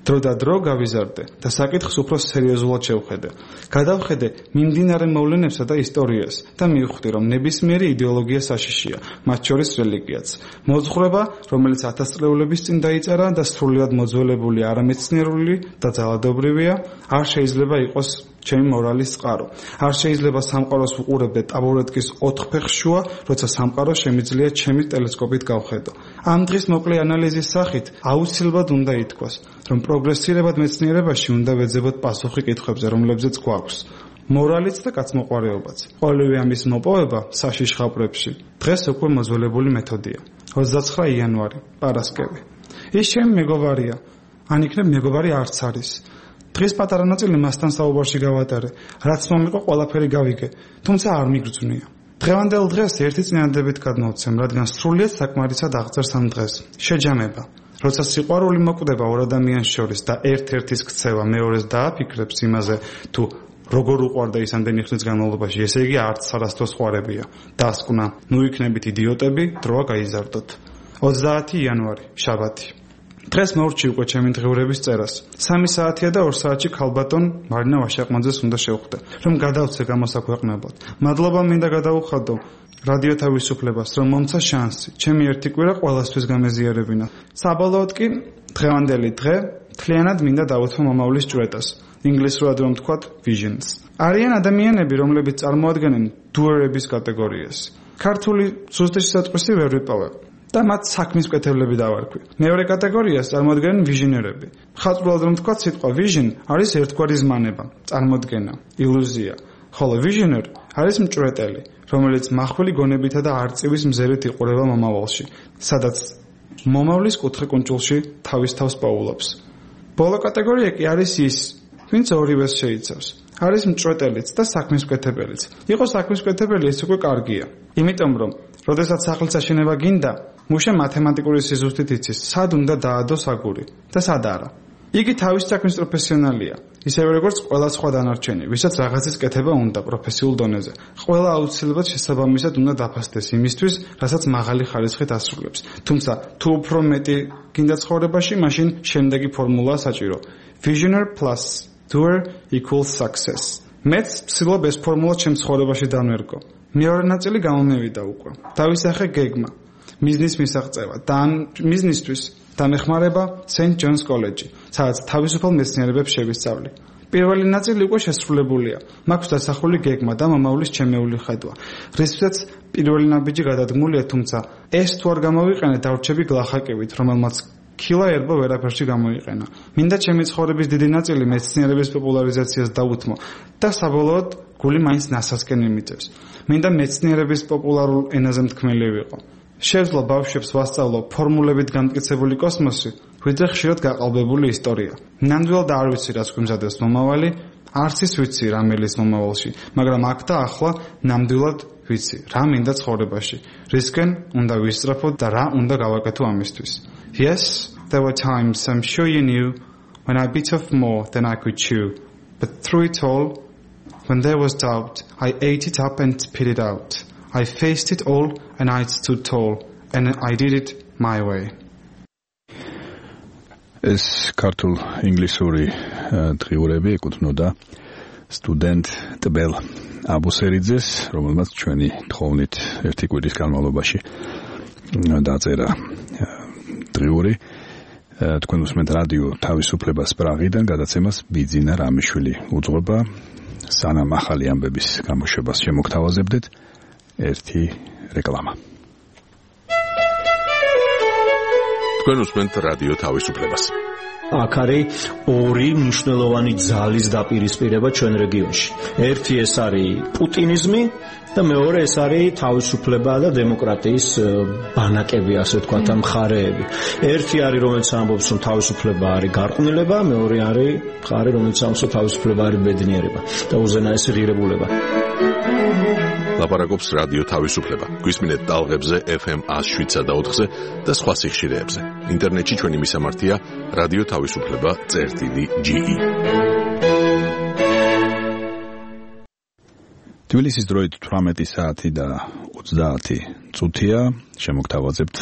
დრო და დრო გავიზარდე და საკითხს უფრო სერიოზულად შევხედე. გადავხედე მიმდინარე მოვლენებსა და ისტორიას და მივხვდი, რომ ნებისმიერი იდეოლოგია საშიშია, მათ შორის რელიგიაც. მოძღვრება, რომელიც ათასწლეულების წინ დაიწერა და სრულიად მოძველებული, არამეცნიერული და ძალადობრივია, არ შეიძლება იყოს ჩემი მორალის წყარო. არ შეიძლება სამყაროს ვუყურებდე ტაბურეტკის ოთხფეხ შუა, როცა სამყარო შემიძლია ჩემი ტელესკოპით გავხედო. ამ დღის მოკლე ანალიზის სახით აუცილებლად უნდა ითქვას, რომ პროგრესირებად მეცნიერებაში უნდა ვეძებოთ პასუხი კითხვებზე, რომლებზეც გვაქვს მორალიც და კაცმოყვარეობაც. ყოველივე ამის მოპოვება საშიშ ხაპრებში დღეს უკვე მოძველებული მეთოდია. ოცდაცხრა იანვარი, პარასკევი. ის ჩემი მეგობარია, ან იქნებ მეგობარი არც არის. დღეს პატარა ნაწილი მასთან საუბარში გავატარე, რაც მომიყო ყველაფერი გავიგე, თუმცა არ მიგრძვნია. დღევანდელ დღეს ერთი წინადადებით გადმოვცემ, რადგან სრულიად საკმარისად აღწერს ამ დღეს. შეჯამება. როცა სიყვარული მოკვდება ორ ადამიანს შორის და ერთ-ერთის ქცევა მეორეს დააფიქრებს იმაზე, თუ როგორ უყვარდა ის ამდენი ხნის განმავლობაში, ესე იგი არც არასდროს ყვარებია. დასკვნა, ნუ იქნებით იდიოტები, დროა გაიზარდოთ. ოცდაათი იანვარი, შაბათი. დღეს მორჩი უკვე ჩემი დღიურების წერას. სამი საათია და ორ საათში ქალბატონ მარინა ვაშაყმაძეს უნდა შევხვდე, რომ გადავცე გამოსაქვეყნებლად. მადლობა მინდა გადავუხადო რადიო თავისუფლებას, რომ მომცა შანსი. ჩემი ერთი კვირა ყველასთვის გამეზიარებინა. საბოლოოდ კი დღევანდელი დღე მთლიანად მინდა დავუთმო მომავლის ჭვრეტას. ინგლისურად რომ ვთქვათ visions. არიან ადამიანები, რომლებიც წარმოადგენენ doer-ების კატეგორიას. ქართული ზუსტი სიტყვისი ვერ ვიპოვებ. და მათ საქმის მკეთებლები დავარქვი. მეორე კატეგორიას წარმოადგენენ ვიჟინერები. ხაზრულად რომ თქვა, სიტყვა vision არის ერთგვარი ზმანება, წარმოდგენა, ილუზია. ხოლო visioner არის მჭვრეტელი, რომელიც მახვილი გონებითა და არწივის მზერით იყურება მომავალში, სადაც მომავლის კუთხე-კუნჭულში თავის თავს პაულობს. ბოლო კატეგორია კი არის ის, ვინც ორივეს შეიცავს. არის მჭვრეტელიც და საქმის მკეთებელიც. იყო საქმის მკეთებელი, ეს უკვე კარგია. იმიტომ რომ როდესაც სახლის აშენება გინდა, მუშა მათემატიკური სიზუსტით იცის, სად უნდა დაადოს აგური და სად არა. იგი თავის საქმის პროფესიონალია, ისევე როგორც ყველა სხვა დანარჩენი, ვისაც რაღაცის კეთება უნდა პროფესიულ დონეზე. ყველა აუცილებლად შესაბამისად უნდა დაფასდეს იმისთვის, რასაც მაღალი ხარისხით ასრულებს. თუმცა, თუ უფრო მეტი გინდა ცხოვრებაში, მაშინ შემდეგი ფორმულაა საჭირო. Visioner plus doer equals success. მეც ვცდილობ ეს ფორმულა ჩემ ცხოვრებაში დამერგო. მეორე ნაწილი გამომევიდა უკვე. დავისახე გეგმა, მიზნის მისაღწევა და ამ მიზნისთვის დამეხმარება Saint John's კოლეჯი, სადაც თავისუფალ მეცნიერებებს შევისწავლი. პირველი ნაწილი უკვე შესრულებულია. მაქვს დასახული გეგმა და მომავლის ჩემეული ხედვა. რისთვისაც პირველი ნაბიჯი გადადგმულია, თუმცა ეს თუ არ გამოვიყენე, დავრჩები გლახაკებით, რომელმაც ქილა ერბო ვერაფერში გამოიყენა. მინდა ჩემი ცხოვრების დიდი ნაწილი მეცნიერების პოპულარიზაციას დავუთმო და საბოლოოდ გული მაინც ნასასკენ იმიწევს. მინდა მეცნიერების პოპულარულ ენაზე მთქმელი ვიყო. შევძლო ბავშვებს ვასწავლო ფორმულებით განმტკიცებული კოსმოსი, ვიდრე ხშირად გაყალბებული ისტორია. ნამდვილად არ ვიცი რას გვიმზადებს მომავალი, არც ის ვიცი რა მელის მომავალში, მაგრამ აქ და ახლა ნამდვილად ვიცი რა მინდა ცხოვრებაში, რისკენ უნდა ვისწრაფო და რა უნდა გავაკეთო ამისთვის. Yes, there were times, I'm sure you knew, when I bit off more than I could chew. But through it all, when there was doubt, I ate it up and spit it out. I faced it all and I stood tall, and I did it my way.
ეს ქართულ ინგლისური დღიურები ეკუთვნოდა სტუდენტ ტბელ აბუსერიძეს, რომელმაც ჩვენი თხოვნით ერთი კვირის განმავლობაში დაწერა დღიური. თქვენ უსმენთ რადიო თავისუფლებას პრაღიდან, გადაცემას ბიძინა რამიშვილი უძღვება. სანამ ახალი ამბების გამოშვებას შემოგთავაზებდეთ, ერთი რეკლამა.
თქვენ უსმენთ რადიო თავისუფლებას.
აქ არის ორი მნიშვნელოვანი ძალის დაპირისპირება ჩვენ რეგიონში. ერთი ეს არის პუტინიზმი და მეორე ეს არის თავისუფლება და დემოკრატიის ბანაკები, ასე ვთქვათ, ამ მხარეები. ერთი არის, რომელიც ამბობს, რომ თავისუფლება არის გარყვნილება, მეორე არის მხარე, რომელიც ამბობს, რომ თავისუფლება არის ბედნიერება და უზენაესი ღირებულება.
ლაპარაკობს რადიო თავისუფლება. გვისმინეთ ტალღებზე ეფ ემ one oh seven და ოთხზე და სხვა სიხშირეებზე. ინტერნეტში ჩვენი მისამართია რადიო თავისუფლება წერტილი ჯი ი.
თბილისის დროით თვრამეტი საათი და ოცდაათი წუთია. შემოგთავაზებთ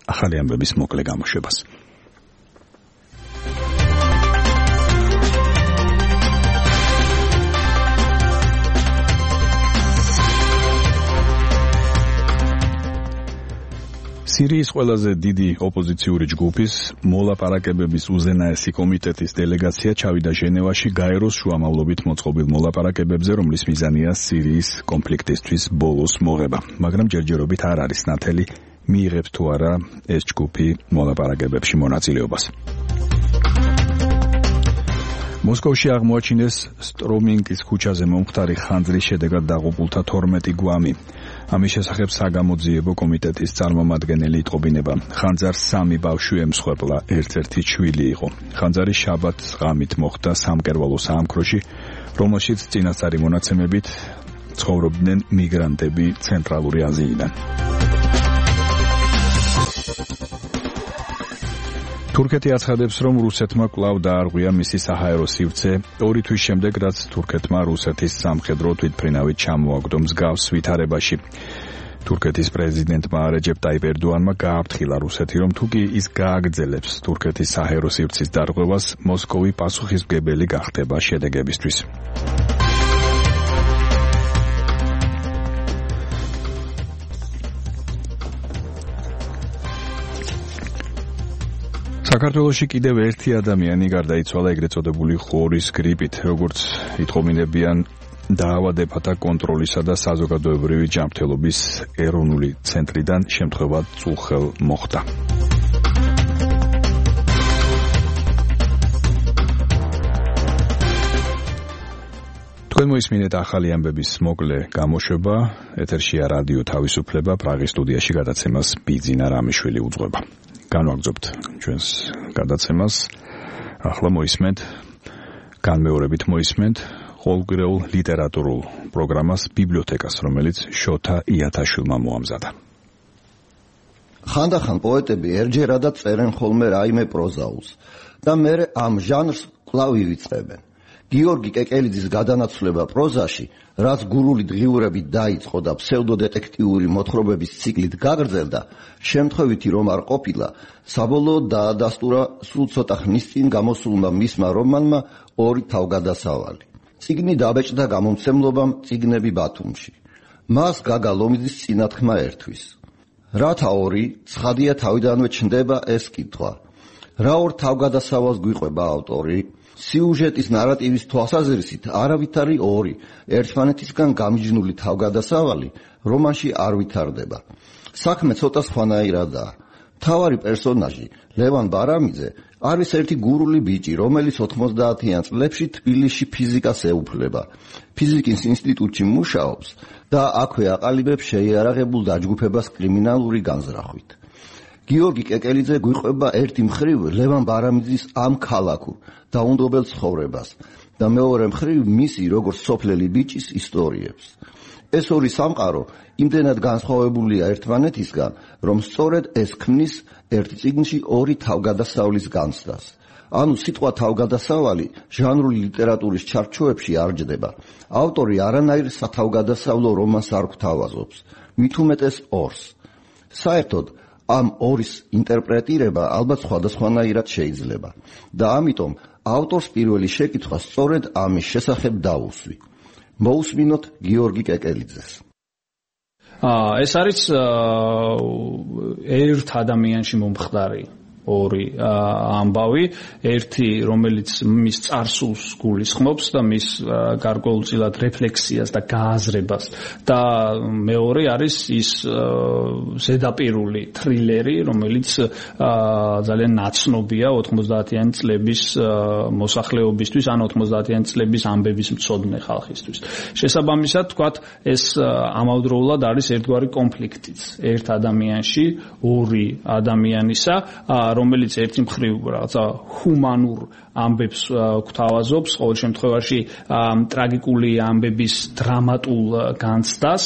ახალი ამბების მოკლე გამოშვებას. სირიის ყველაზე დიდი ოპოზიციური ჯგუფის მოლაპარაკებების უზენაესი კომიტეტის დელეგაცია ჩავიდა ჟენევაში გაეროს შუამავლობით მოწყობილ მოლაპარაკებებზე, რომლის მიზანია სირიის კონფლიქტისთვის ბოლოს მოღება. მაგრამ ჯერჯერობით არ არის ნათელი მიიღებს თუ არა ეს ჯგუფი მოლაპარაკებებში მონაწილეობას. მოსკოვში აღმოაჩინეს სტრომინკის ქუჩაზე მომხდარი ხანძრის შედეგად დაღუპულთა თორმეტი გვამი. ამის შესახებ საგამოძიებო კომიტეტის წარმომადგენელი იტყობინება. ხანძარს სამი ბავშვი ემსხვერპლა, ერთ-ერთი შვილი იყო. ხანძარი შაბათს ღამით მოხდა სამკერვალო საამქროში, რომელშიც წინასწარი მონაცემებით ცხოვრობდნენ მიგრანტები ცენტრალური აზიიდან. თურქეთი აცხადებს, რომ რუსეთმა კვლავ დაარღვია მისი საჰაერო სივრცე ორი თვის შემდეგ, რაც თურქეთმა რუსეთის სამხედრო თვითმფრინავით ჩამოაგდო მსგავს ვითარებაში. თურქეთის პრეზიდენტმა რეჯეპ ტაიპ ერდოანმა გააფრთხილა რუსეთი, რომ თუ კი ის გააგრძელებს თურქეთის საჰაერო სივრცის დარღვევას, მოსკოვი პასუხისმგებელი გახდება შედეგებისთვის. საქართველოში კიდევ ერთი ადამიანი გარდაიცვალა ეგრეთ წოდებული ხორის გრიპით, როგორც იტყობინებიან დაავადებათა კონტროლისა და საზოგადოებრივი ჯანმრთელობის ეროვნული ცენტრიდან შემთხვევა წუხელ მოხდა. თქვენ მოისმინეთ ახალი ამბების მოკლე გამოშვება, ეთერშია რადიო თავისუფლება, პრაღის სტუდიაში გადაცემას ბიძინა რამიშვილი უძღვება. განვაგრძობთ ჩვენს გადაცემას. ახლა მოისმენთ, განმეორებით მოისმენთ ყოველკვირეულ ლიტერატურულ პროგრამას ბიბლიოთეკას, რომელიც შოთა იათაშვილმა მოამზადა.
ხანდახან პოეტები ერჯერადად წერენ ხოლმე რაიმე პროზაულს და მერე ამ ჟანრს კვლავ ივიწყებენ. გიორგი კეკელიძის გადანაცვლება პროზაში, რაც გურული დღიურებით დაიწყო და ფსევდოდეტექტიური მოთხრობების ციკლით გაგრძელდა, შემთხვევითი რომ არ ყოფილა, საბოლოოდ დაადასტურა სულ ცოტა ხნის წინ გამოსულმა მისმა რომანმა ორი თავგადასავალი. წიგნი დაბეჭდა გამომცემლობამ წიგნები ბათუმში. მას გაგა ლომიძის წინათქმა ერთვის. რათა ორი, ცხადია თავიდანვე ჩნდება ეს კითხვა. რა ორ თავგადასავალს გვიყვება ავტორი? სიუჟეტის ნარატივის თვალსაზრისით არავითარი ორი ერთმანეთისგან გამიჯნული თავგადასავალი რომანში არ ვითარდება. საქმე ცოტა სხვანაირადაა. მთავარი პერსონაჟი ლევან ბარამიძე არის ერთი გურული ბიჭი, რომელიც ოთხმოცდაათიან წლებში თბილისში ფიზიკას ეუფლება. ფიზიკის ინსტიტუტში მუშაობს და აქვე აყალიბებს შეიარაღებულ დაჯგუფებას კრიმინალური განზრახვით. გიორგი კეკელიძე გვიყვება ერთი მხრივ ლევან ბარამიძის ამ ქალაქურ დაუნდობელ ცხოვრებას და მეორე მხრივ მისი როგორც სოფლელი ბიჭის ისტორიებს. ეს ორი სამყარო იმდენად განსხვავებულია ერთმანეთისგან, რომ სწორედ ეს ქმნის ერთ წიგნში ორი თავგადასავლის განცდას. ანუ სიტყვა თავგადასავალი ჟანრული ლიტერატურის ჩარჩოებში არ ჯდება. ავტორი არანაირ სათავგადასავლო რომანს არ გვთავაზობს, მით უმეტეს ორს. საერთოდ ამ ორის ინტერპრეტირება ალბათ სხვადასხვანაირად შეიძლება და ამიტომ ავტორს პირველი შეკითხვა სწორედ ამის შესახებ დაუსვი. მოусმინოთ გიორგი კეკელიძეს.
აა ეს არის ერთ ადამიანში მომხდარი ორი ამბავი, ერთი რომელიც მის წარსულს გულისხმობს და მის გარკვეულწილად რეფლექსიას და გააზრებას და მეორე არის ის ზედაპირული თრილერი, რომელიც ძალიან ნაცნობია ოთხმოცდაათიანი წლების მოსახლეობისთვის ან ოთხმოცდაათიანი წლების ამბების მცოდნე ხალხისთვის. შესაბამისად, თქვათ, ეს ამავდროულად არის ერთგვარი კონფლიქტიც ერთ ადამიანში, ორი ადამიანისა, რომელიც ერთი მხრივ რაღაცა ჰუმანურ ამბებს გვთავაზობს, ყოველ შემთხვევაში ტრაგიკული ამბების დრამატულ განცდას,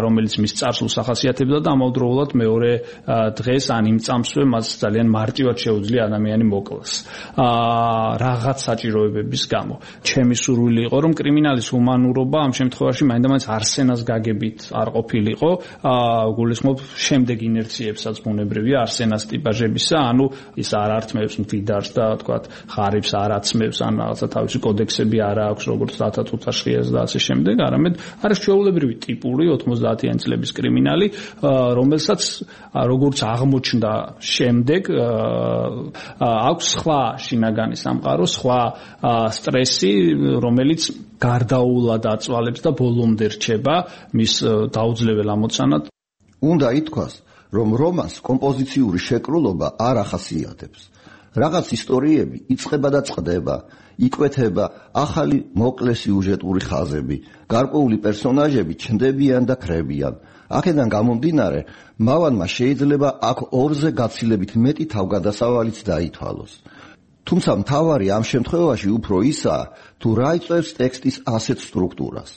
რომელიც მის წარსულს ახასიათებდა და ამავდროულად მეორე დღეს ან იმ წამსვე მას ძალიან მარტივად შეუძლია ადამიანი მოკლას. რაღაც საჭიროებების გამო. ჩემი სურვილი იყო, რომ კრიმინალის ჰუმანურობა ამ შემთხვევაში მაინდამაინც არსენას გაგებით არ ყოფილიყო, გულისხმობ შემდეგ ინერციებსაც ბუნებრივია არსენას ტიპაჟებისა, ანუ ის არ ართმევს მდიდარს და თქვათ ღარიბს არ აცმევს, ან რაღაცა თავისი კოდექსები არ აქვს, როგორც დათათუთაშხიას და ასე შემდეგ, არამედ არის ჩვეულებრივი ტიპური ოთხმოცდაათიანი წლების კრიმინალი, რომელსაც როგორც აღმოჩნდა შემდეგ აქვს სხვა შინაგანი სამყარო, სხვა სტრესი, რომელიც გარდაულად აწვალებს და ბოლომდე რჩება მის დაუძლებელ ამოცანად.
უნდა ითქვას, რომ რომანს კომპოზიციური შეკრულობა არ ახასიათებს. რაღაც ისტორიები იწყება და წყდება, იკვეთება ახალი მოკლე სიუჟეტური ხაზები, გარკვეული პერსონაჟები ჩნდებიან და ქრებიან. აქედან გამომდინარე, მავანმა შეიძლება აქ ორზე გაცილებით მეტი თავგადასავალიც დაითვალოს. თუმცა მთავარი ამ შემთხვევაში უფრო ისაა, თუ რა იწვევს ტექსტის ასეთ სტრუქტურას.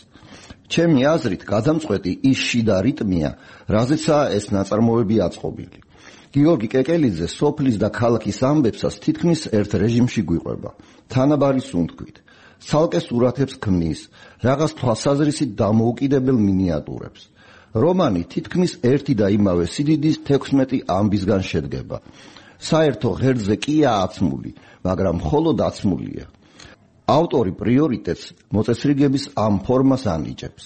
ჩემი აზრით, გადამწყვეტი ის შიდა რიტმია, რაზეცაა ეს ნაწარმოები აწყობილი. გიორგი კეკელიძე სოფლის და ქალაქის ამბებსაც თითქმის ერთ რეჟიმში გვიყვება, თანაბარი სუნთქვით. ცალკე სურათებს ქმნის, რაღაც თვალსაზრისით დამოუკიდებელ მინიატურებს. რომანი თითქმის ერთი და იმავე სიდიდის თექვსმეტი ამბისგან შედგება. საერთო ღერძზე კია აცმული, მაგრამ მხოლოდ აცმულია. ავტორი პრიორიტეტს მოწესრიგების ამ ფორმას ანიჭებს.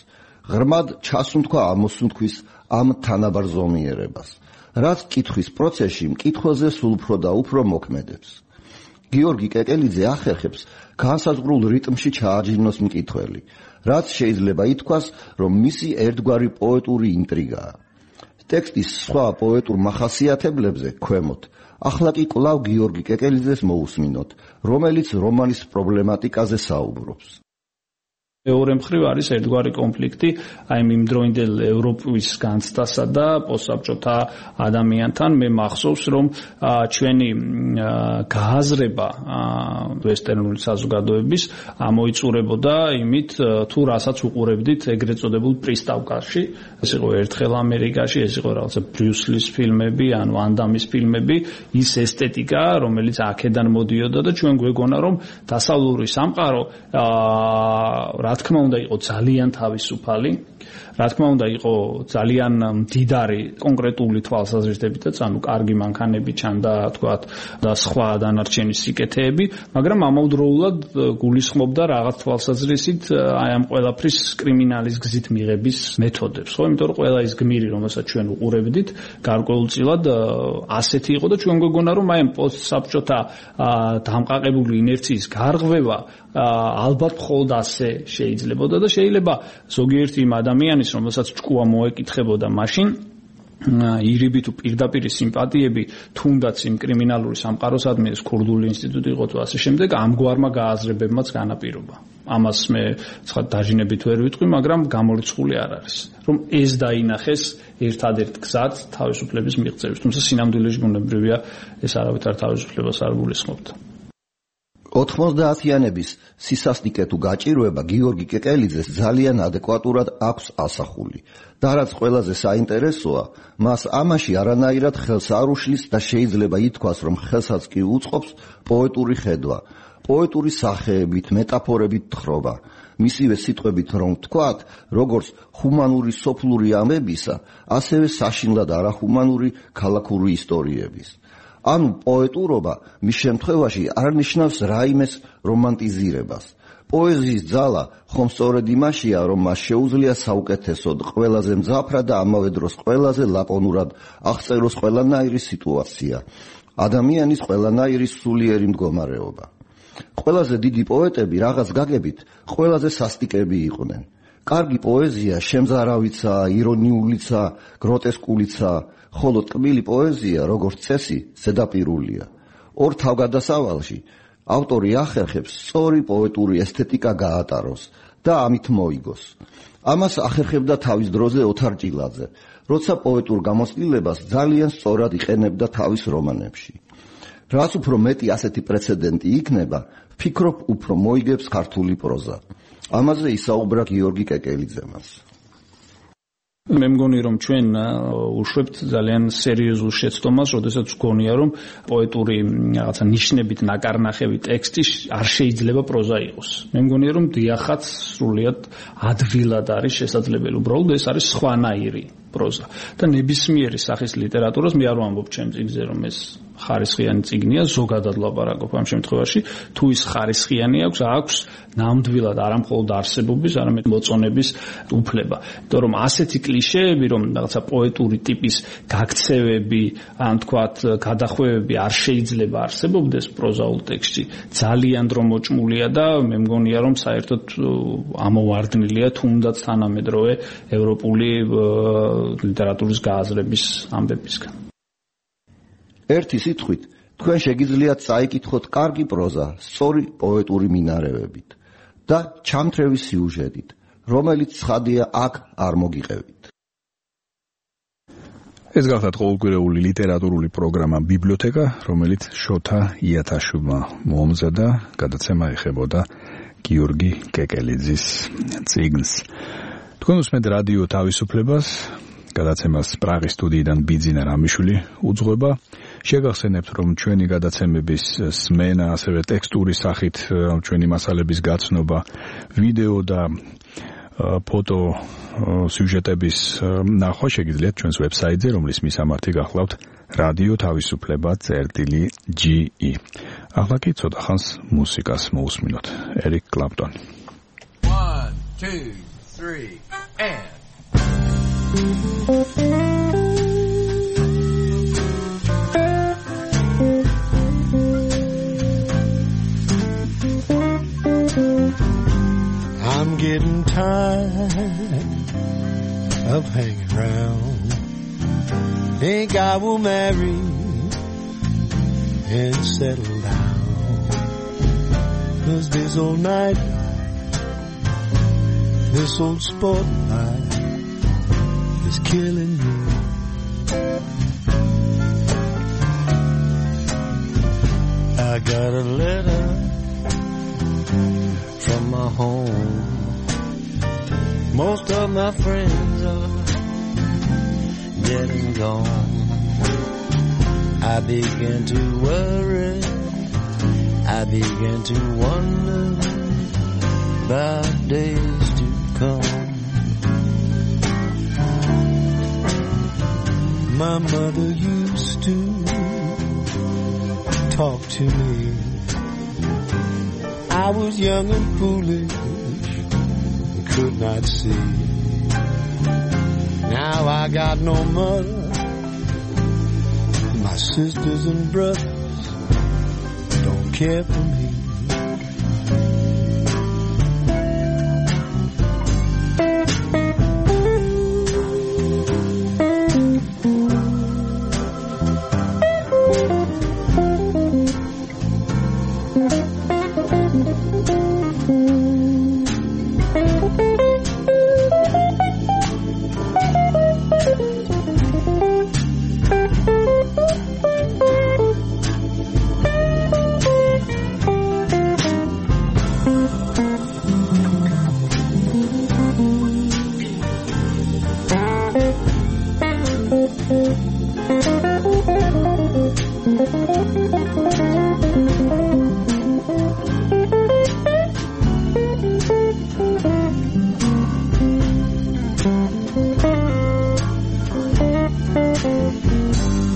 ღრმად ჩასუნთქვა ამოსუნთქვის ამ თანაბარ ზომიერებას, რაც კითხვის პროცესში მკითხვაზე სულ უფრო და უფრო მოქმედებს. გიორგი კეკელიძე ახერხებს განსაზღვრულ რიტმში ჩააჯინოს მკითხველი, რაც შეიძლება ითქვას, რომ მისი ერთგვარი პოეტური ინტრიგაა. ტექსტის სხვა პოეტურ მახასიათებლებზე ქვემოთ ახლა კი კვლავ გიორგი კეკელიძეს მოусმინოთ, რომელიც რომანის პრობლემატიკაზე საუბრობს.
მეორე მხრივ არის ერთგვარი კონფლიქტი აი მიმდროინდელ ევროპის განცდასა და პოსტსაბჭოთა ადამიანთან. მე მახსოვს, რომ ჩვენი გააზრება ვესტერნული საზოგადოების ამოიწურებოდა იმით, თუ რასაც უყურებდით ეგრეთ წოდებულ პრისტავკაში. ეს იყო ერთხელ ამერიკაში, ეს იყო რაღაცა ბრიუსლის ფილმები, ან ვან დამის ფილმები, ის ესთეტიკა, რომელიც აქედან მოდიოდა და ჩვენ გვეგონა, რომ დასავლური სამყარო რა თქმა უნდა იყო ძალიან თავისუფალი, რა თქმა უნდა იყო ძალიან მდიდარი კონკრეტული თვალსაზრისითებითაც, ანუ კარგი მანქანები ჩანდა, თქვათ, და სხვა დანარჩენი სიკეთეები, მაგრამ ამავდროულად გულისხმობდა რაღაც თვალსაზრისით აი ამ ყველაფრის კრიმინალის გზით მიღების მეთოდებს, ხო? იმიტომ რომ ყველა ის გმირი, რომელსაც ჩვენ უყურებდით, გარკვეულწილად ასეთი იყო და ჩვენ გვეგონა, რომ აი ამ პოსტსაბჭოთა დამყაყებული ინერციის გარღვევა ალბათ მხოლოდ ასე შეიძლებოდა და შეიძლება ზოგიერთი იმ ადამიანის, რომელსაც ჭკუა მოეკითხებოდა მაშინ ირიბი თუ პირდაპირი სიმპათიები თუნდაც იმ კრიმინალური სამყაროსადმი, ეს ქურდული ინსტიტუტი იყო თუ ასე შემდეგ, ამგვარმა გააზრებებმაც განაპირობა. ამას მე ცხა დაჟინებით ვერ ვიტყვი, მაგრამ გამორიცხული არ არის, რომ ეს დაინახეს ერთადერთ გზად თავისუფლების მიღწევის. თუმცა სინამდვილეში ბუნებრივია ეს არავითარ თავისუფლებას არ გულისხმობდა.
ოთხმოცდაათიანების სისასტიკე თუ გაჭირვება გიორგი კეკელიძეს ძალიან ადეკვატურად აქვს ასახული და რაც ყველაზე საინტერესოა, მას ამაში არანაირად ხელს არ უშლის და შეიძლება ითქვას, რომ ხელსაც კი უწყობს პოეტური ხედვა, პოეტური სახეებით, მეტაფორებით თხრობა. მისივე სიტყვებით რომ ვთქვათ, როგორც ჰუმანური სოფლური ამბებისა, ასევე საშინლად არახუმანური ქალაქური ისტორიების. ანუ პოეტურობა მის შემთხვევაში არ ნიშნავს რაიმეს რომანტიზირებას. პოეზიის ძალა ხომ სწორედ იმაშია, რომ მას შეუძლია საუკეთესოდ, ყველაზე მძაფრად და ამავე დროს ყველაზე ლაკონურად აღწეროს ყველანაირი სიტუაცია. ადამიანის ყველანაირი სულიერი მდგომარეობა. ყველაზე დიდი პოეტები რაღაც გაგებით ყველაზე სასტიკები იყვნენ. კარგი პოეზია შემზარავიცა, ირონიულიცა, გროტესკულიცა, ხოლო ტკბილი პოეზია, როგორც წესი, ზედაპირულია. ორ თავგადასავალში ავტორი ახერხებს სწორი პოეტური ესთეტიკა გაატაროს და ამით მოიგოს. ამას ახერხებდა თავის დროზე ოთარ ჭილაძე, როცა პოეტურ გამოცდილებას ძალიან სწორად იყენებდა თავის რომანებში. რაც უფრო მეტი ასეთი პრეცედენტი იქნება, ვფიქრობ, უფრო მოიგებს ქართული პროზა. ამაზე ისაუბრა გიორგი კეკელიძემაც.
მე მგონი რომ ჩვენ უშვებთ ძალიან სერიოზულ შეცდომას, როდესაც ვგონია რომ პოეტური რაღაცა ნიშნებით ნაკარნახევი ტექსტი არ შეიძლება პროზა იყოს. მე მგონია რომ დიახაც სრულიად ადვილად არის შესაძლებელი, უბრალოდ ეს არის სხვანაირი პროზა და ნებისმიერი სახის ლიტერატურას მე არ ვამბობ ჩემ წიგნზე რომ ეს ხარისხიანი წიგნია, ზოგადად ლაპარაკობ ამ შემთხვევაში, თუ ის ხარისხიანი აქვს, აქვს ნამდვილად არამხოლოდ არსებობის, არამედ მოწონების უფლება. იმიტომ რომ ასეთი კლიშეები, რომ რაღაცა პოეტური ტიპის გაქცევები, ან თქვათ, გადახვევები არ შეიძლება არსებობდეს პროზაულ ტექსტში, ძალიან დრო მოჭმულია და მე მგონია რომ საერთოდ ამოვარდნილია თუნდაც თანამედროვე ევროპული ლიტერატურის გააზრების ამბებისგან.
ერთი სიტყვით, თქვენ შეგიძლიათ წაიკითხოთ კარგი პროზა, სწორი პოეტური მინარევებით და ჩამთრევი სიუჟეტით, რომელიც ცხადია აქ არ მოგიყევით.
ეს გახლავთ ყოველკვირეული ლიტერატურული პროგრამა ბიბლიოთეკა, რომელიც შოთა იათაშვილმა მოამზადა, გადაცემა ეხებოდა გიორგი კეკელიძის წიგნს. თქვენ უსმენთ რადიო თავისუფლებას, გადაცემას პრაღის სტუდიიდან ბიძინა რამიშვილი უძღვება. შეგახსენებთ, რომ ჩვენი გადაცემების სმენა, ასევე ტექსტური სახით ჩვენი მასალების გაცნობა, ვიდეო და ფოტო სიუჟეტების ნახვა შეგიძლიათ ჩვენს ვებსაიტზე, რომლის მისამართი გახლავთ რადიო თავისუფლება წერტილი ჯი ი. ახლა კი ცოტა ხანს მუსიკას მოусმინოთ. ერიკ კლაპტონი.
one two three and
I'm getting tired of hanging around. Think I will marry and settle down. 'Cause this old night, this old sport life is killing me. I got a letter from my home. Most of my friends are dead and gone. I began to worry, I began to wonder about days to come. My mother used to talk to me. I was young and foolish, could not see. Now I got no mother. My sisters and brothers don't care for me.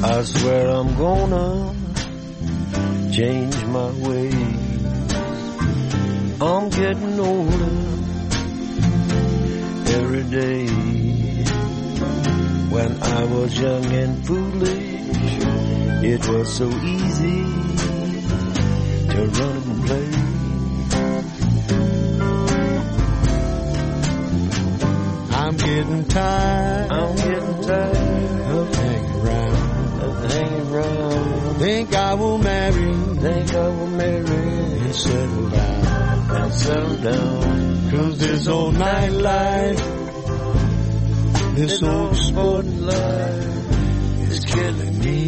I swear I'm gonna change my ways. I'm getting older every day. When I was young and foolish, It was so easy to run and play. I'm getting tired. I'm getting tired of hanging around. Of hanging around. Think I will marry. Think I will marry and settle down. And settle down. 'Cause this old nightlife, this old sporting life is killing me.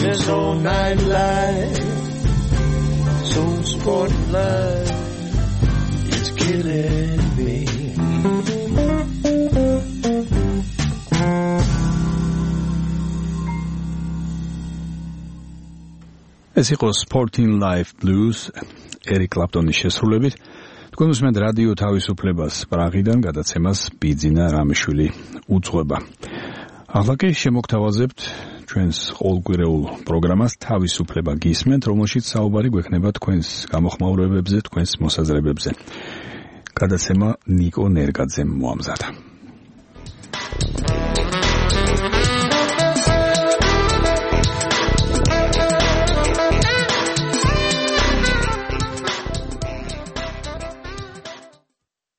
This old nightlife, this old sporting life is killing me.
ეს იყო Sporting Life Blues ერიკ კლაპტონის შესრულებით. თქვენ უსმენთ რადიო თავისუფლებას პრაღიდან, გადაცემას ბიძინა რამიშვილი უძღვება. ახლა კი შემოგთავაზებთ ჩვენს ყოველკვირეულ პროგრამას თავისუფლება გისმენთ, რომელშიც საუბარი გვექნება თქვენს გამოხმაურებებზე, თქვენს მოსაზრებებზე. გადაცემა ნიკო ნერგაძემ მოამზადა.